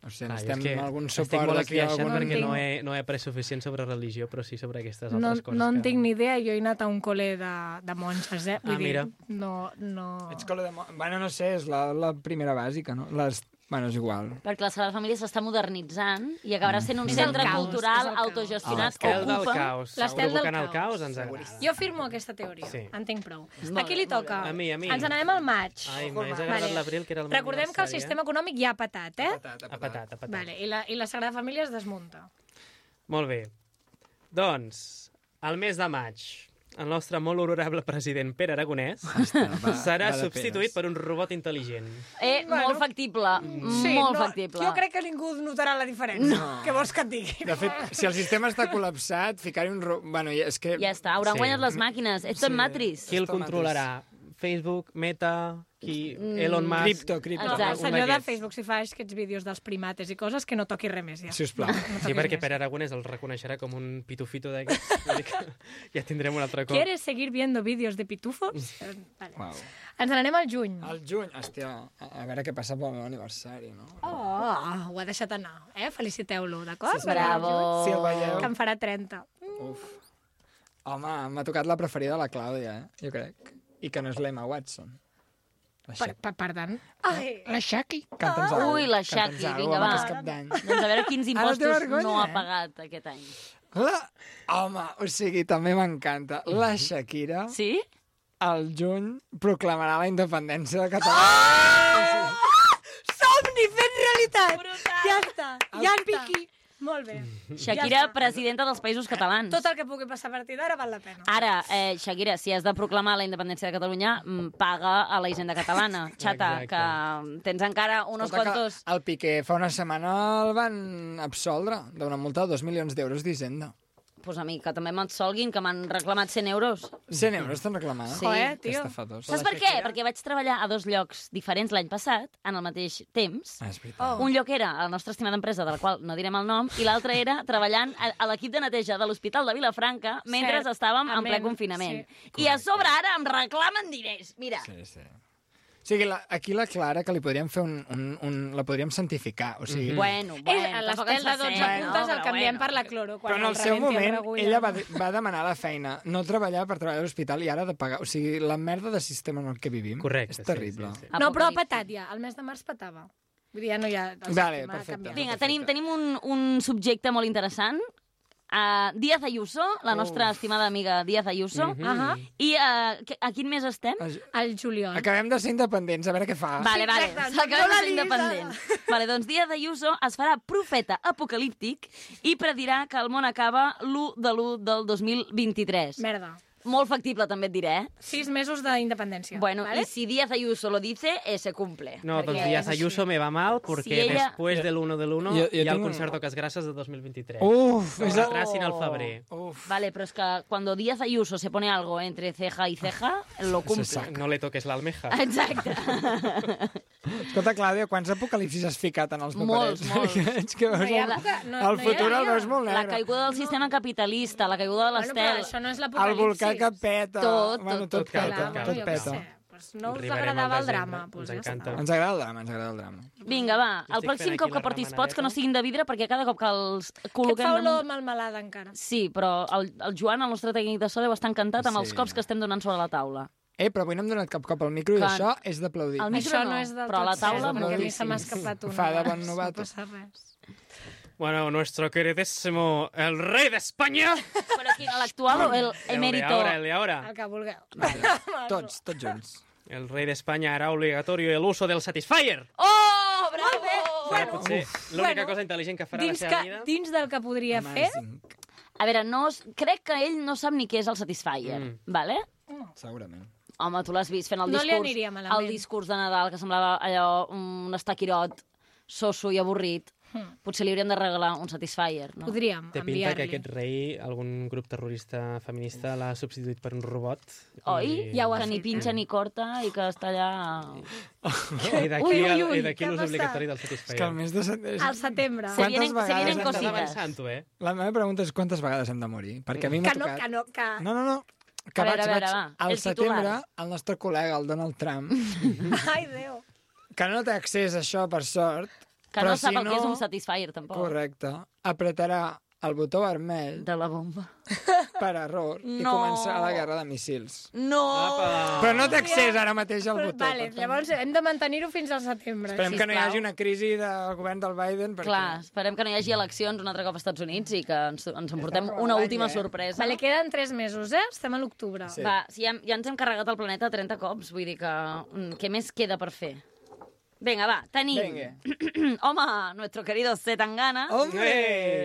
No sé, Clar, necessitem és que algun estic suport molt d'aquí. esbiaixat Algun... perquè No no entenc. he, no he après suficient sobre religió, però sí sobre aquestes No, altres coses. no en que... tinc ni idea, jo he anat a un col·le de, de monges, eh? Vull Ah, mira. dir, no, no... Ets col·le de... mo- Bueno, no sé, és la, la primera bàsica, no? Les... Bueno, és igual. Perquè la Sagrada Família s'està modernitzant i acabarà sent un És el centre caos, cultural és el caos. autogestionat que L'estel del ocupa... caos. L'estel del Provocant el caos. caos ens agrada. Jo firmo aquesta teoria, Sí. en tinc prou. Molt A qui li bé, molt toca? bé. A mi, a mi. Ens n'anem al maig. Ai, m'hagués agradat Vale. l'abril, que era el meu Recordem que el aniversari, sistema econòmic ja ha patat, eh? Patat, Ha patat, ha patat. Vale, i, la, I la Sagrada Família es desmunta. Molt bé. Doncs, al mes de maig, el nostre molt honorable president Pere Aragonès va- serà va de substituït peres. per un robot intel·ligent. Eh, Bueno. molt factible, molt factible. Jo crec que ningú notarà la diferència. No. Què vols que et digui? De fet, si el sistema està col·lapsat, ficar-hi un... Ro... Bueno, ja- és que... Ja està, hauran Sí. guanyat les màquines. És tot Sí. Matrix. Qui el Està controlarà? Facebook, Meta, qui... Elon Musk... Cripto, cripto. Exacte. El algun senyor de d'aquests. Facebook, si fa aquests vídeos dels primates i coses, que no toqui res més, ja. Si us plau. No Sí, toquis perquè més. Pere Aragonès el reconeixerà com un pitufito d'aquests. Vull dir que ja tindrem un altre cop. ¿Quieres seguir viendo vídeos de pitufos? Eh, Vale. Uau. Ens n'anem al juny. Al juny, hòstia, a a veure què passa pel meu aniversari, no? Oh, ho ha deixat anar, eh? Feliciteu-lo, d'acord? Bravo. Si el veieu... Que en farà trenta. Uf. Home, m'ha tocat la preferida de la Clàudia, eh? Jo crec. I que no és l'Emma Watson. La Per, Shaki. per, per tant... Ai, La Shaki. Canta'ns alguna Ui, la Shaki, vinga, va. És cap d'any. Doncs a veure quins Ara té impostos vergonya, no ha eh? pagat aquest any. La... Home, o sigui, també m'encanta. La Shakira, Sí? al juny, proclamarà la independència de Catalunya. somni fet realitat! Brutal. Ja està, ja en piqui. Molt bé. Shakira, Ja està. presidenta dels Països Catalans. Tot el que pugui passar a partir d'ara val la pena. Ara, eh, Shakira, si has de proclamar la independència de Catalunya, mm, paga a la Hisenda Catalana. Xata, Exacte. que quants encara unos Escolta, que quantos... El Piqué fa una setmana el van absoldre d'una multa de dos milions d'euros d'Hisenda. pues a mi, que també m'atsolguin, que m'han reclamat cent euros. cent euros t'han reclamat? Sí. Joder, Que tio. estafadors. Saps per què? Perquè vaig treballar a dos llocs diferents l'any passat, en el mateix temps. Ah, és veritat. Un lloc era a la nostra estimada empresa, de la qual no direm el nom, i l'altre era treballant a, a l'equip de neteja de l'Hospital de Vilafranca mentre Cert. estàvem en ple Amén. confinament. Sí. I a sobre ara em reclamen diners. Mira, Sí, sí. O sigui, la, aquí la Clara, que li podríem fer un... un, un la podríem santificar, o sigui... bueno, És bueno, a tampoc l'estel ens de dotze passem, puntes no? el Però canviem bueno. per la cloro. Quan Però en el el seu rebenti moment, regulla. ella va, va demanar la feina, no treballar per treballar a l'hospital i ara ha de pagar. O sigui, la merda de sistema en el que vivim Correcte, és sí, terrible. sí, sí. No, però ha Apocalipsi. petat ja. El mes de març petava. Vull dir, ja no hi ha... El Vale, sistema ha perfecte. canviat. Vinga, tenim, tenim un, un subjecte molt interessant. Uh, Díaz Ayuso, la nostra estimada amiga Díaz Ayuso. Mhm. Ahà. I uh, a quin mes estem? El juliol. Acabem de ser independents, a veure què fa. Vale, vale, exacte, s'acabem no de la ser lisa. independents. Vale, doncs Díaz Ayuso es farà profeta apocalíptic i predirà que el món acaba l'u de l'u del dos mil vint-i-tres. Merda. Molt factible, també et diré, eh? Sis mesos d'independència. Bueno, ¿vale? y si Díaz Ayuso lo dice, eh, se cumple. No, Perquè doncs Díaz és així. Ayuso me va mal porque Si ella- después del uno del uno Jo- jo hi ha el tinc un- concert d'Ocas de dos mil vint-i-tres. Uf, Que és la... retrasin al febrer. Uf. Vale, pero es que cuando Díaz Ayuso se pone algo entre ceja y ceja, lo cumple. saca. No le toques l'almeja. Exacte. Escolta, Clàudia, quants apocalipsis has ficat en els Molts, paperets? molts. Perquè veig que veus No hi ha el, època- no- el no hi ha futur el dia. veus molt La negre. caiguda del sistema capitalista, la caiguda de Bueno, però l'estel. això no és El l'apocalipsi. volcà que peta. Tot, bueno, tot, tot, tot peta, cal, cal, tot jo què peta. sé. Pues no us Arribarem agradava al el desembre, drama. Pues ens ja encanta. està. Ens agrada el drama, ens agrada el drama. Vinga, va, Jo el estic pròxim fent cop aquí que la portis remenadeta. pots, que no siguin de vidre, perquè cada cop que els Que et col·loquem... fa olor damunt- malmelada encara. Sí, però el, el Joan, el nostre tècnic de so, deu estar encantat amb els Sí. cops que estem donant sobre la taula. Eh, però avui no hem donat cap cop al micro i Clar. això és d'aplaudir. El micro Això no, no és del però a tot la taula cert, perquè a mi moltíssim. se m'ha escapat una. Fa de bon abans, novato. No passa res. Bueno, nuestro queridísimo, el rey de España. Però quin, l'actual o el El de emèrito? ahora, el de ahora. El que vulgueu. Tots, tots junts. El rey de España hará obligatorio el uso del Satisfyer. Oh, bravo! Serà potser l'única bueno, cosa intel·ligent que farà Dins, la seva que, vida. dins del que podria fer, Amazing. A veure, no, es- crec que ell no sap ni què és el Satisfyer, Mm. vale? Segurament. Home, tu l'has vist fent el No li discurs, aniria malament. el discurs de Nadal, que semblava allò un estaquirot, soso i avorrit. Hmm. Potser li hauríem de regalar un Satisfyer, no? podríem Té pinta que enviar-li. aquest rei, algun grup terrorista feminista l'ha substituït per un robot. Oi? Ja ho ha Que ni fet. pinxa ni corta i que està allà... I d'aquí Ui, ui, el- ui, i d'aquí què ha l'ús passat? obligatori del És que el Satisfyer. mes de setembre... Al setembre. Se Quantes vienen, se vegades vienen hem Estàs cositas. avançant, tu, eh? La meva pregunta és quantes vegades hem de morir? Perquè a mi m'ha Que no, tocat... que no, que... No, no, no. Que A vaig, veure, a veure, vaig, va, al el setembre, titular. el nostre col·lega, el Donald Trump, Ai, Déu. que no té accés a això, per sort, Que però no sap si el que és un Satisfyer, tampoc. Correcte. Apretarà el botó vermell De la bomba. per error i No. començarà la guerra de míssils. No! Apa! Però no té accés ara mateix al botó. Vale, per tant, llavors hem de mantenir-ho fins al setembre. esperem que no hi sisplau. hagi una crisi del govern del Biden. Perquè... Clar, esperem que no hi hagi eleccions un altre cop als Estats Units i que ens, ens emportem una l'any, última eh? sorpresa. Vale, queden tres mesos, eh? Estem a l'octubre. Sí. Va, si ja, ja ens hem carregat el planeta trenta cops, vull dir que... mm, Què més queda per fer? Vinga, va, tenim... Vinga. Home, nuestro querido Zetangana Hombre!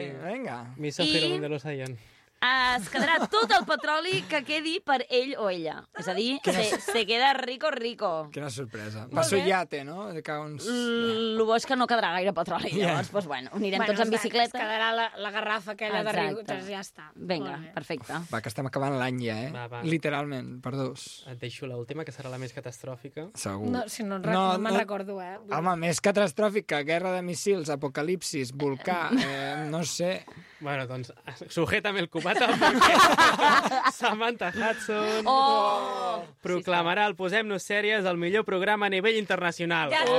Eh! Vinga. Miso I- Jerónimo de los Ayan. es quedarà tot el petroli que quedi per ell o ella. És a dir, se, se queda rico, rico. Quina sorpresa. Molt Pa su bé. iate, no? De que uns... El bo és que no quedarà gaire petroli, llavors, doncs, bueno, anirem Bueno, tots en es- Es bicicleta. quedarà la, la garrafa aquella de riu, Exacte. doncs ja està. Vinga, Molt bé. perfecte. Va, que estem acabant l'any ja, eh? Va, va. Literalment, per dos. Et deixo l'última, que serà la més catastròfica. Segur. No, si no, no, no me'n recordo, eh? Vull dir- Home, més catastròfica, guerra de missils, apocalipsis, volcà, eh, no sé. Bueno, doncs, sujétame el cubata, perquè Samantha Hudson Oh! proclamarà el Posem-nos Sèries el millor programa a nivell internacional. Ja està.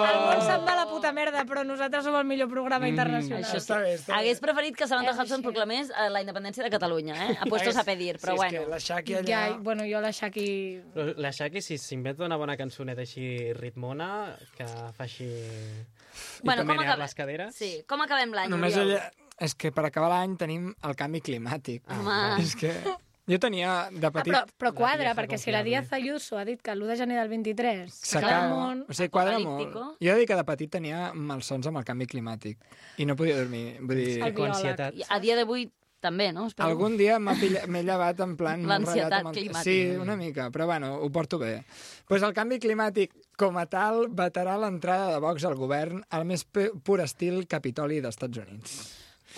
El món se'n va a la puta merda, però nosaltres som el millor programa internacional. Això Està bé, està bé. Hagués preferit que Samantha És Hudson així. proclamés eh, la independència de Catalunya, eh? A puestos a pedir, però sí, bueno. És que la Shaki allà... Ja, bueno, jo la Shaki... Però la Shaki, si s'inventa una bona cançoneta així ritmona, que fa així... Bueno, I com menear acabem- les caderes... Sí, com acabem l'any, Només Oriol? allà... És que per acabar l'any tenim el canvi climàtic. Home. És que jo tenia de Ah, petit... però, però quadra, vieja perquè si la confiable. Díaz Ayuso ha dit que l'u de gener del vint-i-tres S'acaba. s'acaba el món... O sigui, quadra molt. Apocalíptico. Jo he de dir que de petit tenia malsons amb el canvi climàtic i no podia dormir. Vull dir, El I con biòleg. ansietat. I a dia d'avui també, no? Espero. algun dia m'ha pilla- m'he llevat en plan... molt L'ansietat ratllat amb el- climàtica. Sí, una mica, però bueno, ho porto bé. Pues el canvi climàtic, com a tal, vetarà l'entrada de Vox al govern al més pu- pur estil Capitoli dels Estats Units.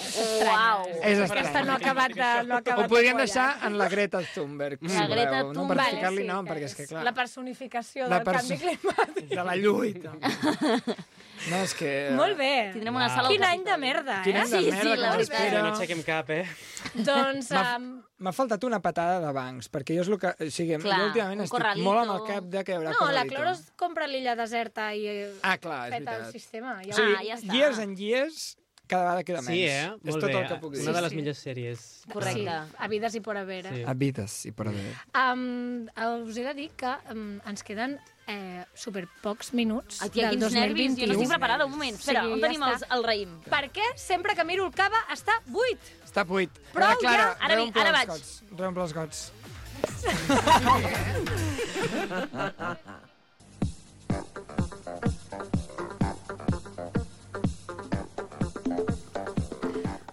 Uau. És Aquesta estrany. no ha acabat de, no ha acabat Ho podríem de deixar quallar. en la Greta Thunberg. La si Greta voleu, no? Per Thunberg, ficar-li sí, nom, que perquè és que, clar, La personificació La del perso- canvi climàtic. de la lluita. No, és que... Molt bé. Tindrem una Uau. sala al Quin any de Capitoli. merda, Quin eh? any de Sí, sí, merda la que veritat. m'espera. No aixequem cap, eh? Doncs... M'ha- Um, M'ha faltat una patada de bancs, perquè jo és el que... O sigui, Clar, jo últimament un estic corralito. molt amb el cap de que hi haurà no, la corralito. Cloro es compra l'illa deserta i eh, Ah, clar, és peta el veritat. sistema. Ja O ho- sigui, Ah, ja està. years and years, cada vegada queda menys. Sí, eh? És Molt tot bé. el que puc dir. Una de les Sí. millors sèries. Correcte. Sí, a vides i por haver. Sí. A vides i per haver. Um, us he de dir que um, ens queden eh, super pocs minuts Aquí, del quins dos mil nervis. Jo no vint-i-u. estic preparada. Un moment. Espera, Sí, on ja tenim està. els, el raïm? Perquè sempre que miro el cava està buit. Està buit. Prou, Ara, Clara, ja. Ara reomple vinc, ara els vaig. gots. Reomple els gots.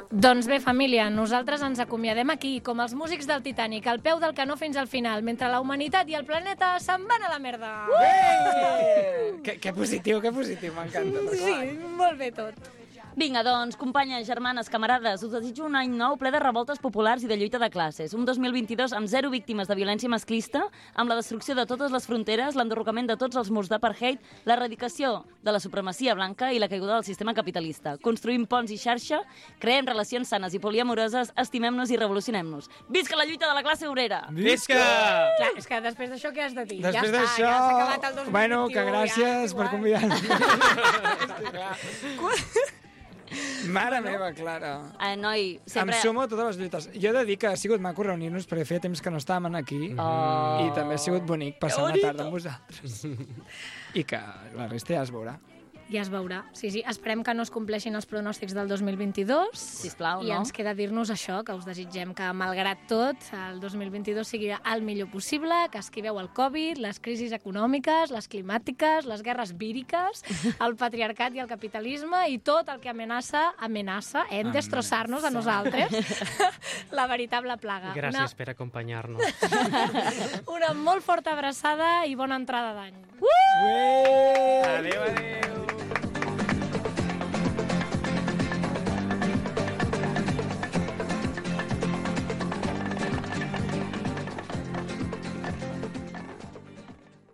Doncs bé, família, nosaltres ens acomiadem aquí, com els músics del Titanic, al peu del canó fins al final, mentre la humanitat i el planeta se'n van a la merda. Uh! Que, que positiu, que positiu, m'encanta. Sí, molt bé tot. Vinga, doncs, companyes, germanes, camarades, us desitjo un any nou ple de revoltes populars i de lluita de classes. Un dos mil vint-i-dos amb zero víctimes de violència masclista, amb la destrucció de totes les fronteres, l'enderrocament de tots els murs d'apartheid, l'erradicació de la supremacia blanca i la caiguda del sistema capitalista. Construïm ponts i xarxa, creem relacions sanes i poliamoroses, estimem-nos i revolucionem-nos. Visca la lluita de la classe obrera! Visca! Clar, és que després d'això què has de dir? Després ja està, d'això... ja s'ha acabat el dos mil vint-i-u. Bueno, que gràcies ja, per igual. convidar-nos. Mare meva, Clara. Eh, noi, sempre... Em sumo a totes les lluites. Jo he de dir que ha sigut maco reunir-nos perquè feia temps que no estàvem aquí Oh. i també ha sigut bonic passar una tarda amb vosaltres. I que la resta ja es veurà. Ja es veurà. Sí, sí, esperem que no es compleixin els pronòstics del dos mil vint-i-dos. Sisplau, I no? ens queda dir-nos això, que us desitgem que, malgrat tot, el dos mil vint-i-dos sigui el millor possible, que esquiveu el Covid, les crisis econòmiques, les climàtiques, les guerres víriques, el patriarcat i el capitalisme i tot el que amenaça, amenaça, eh, en destrossar-nos a nosaltres, la veritable plaga. Gràcies per acompanyar-nos. Una, una molt forta abraçada i bona entrada d'any. Ué!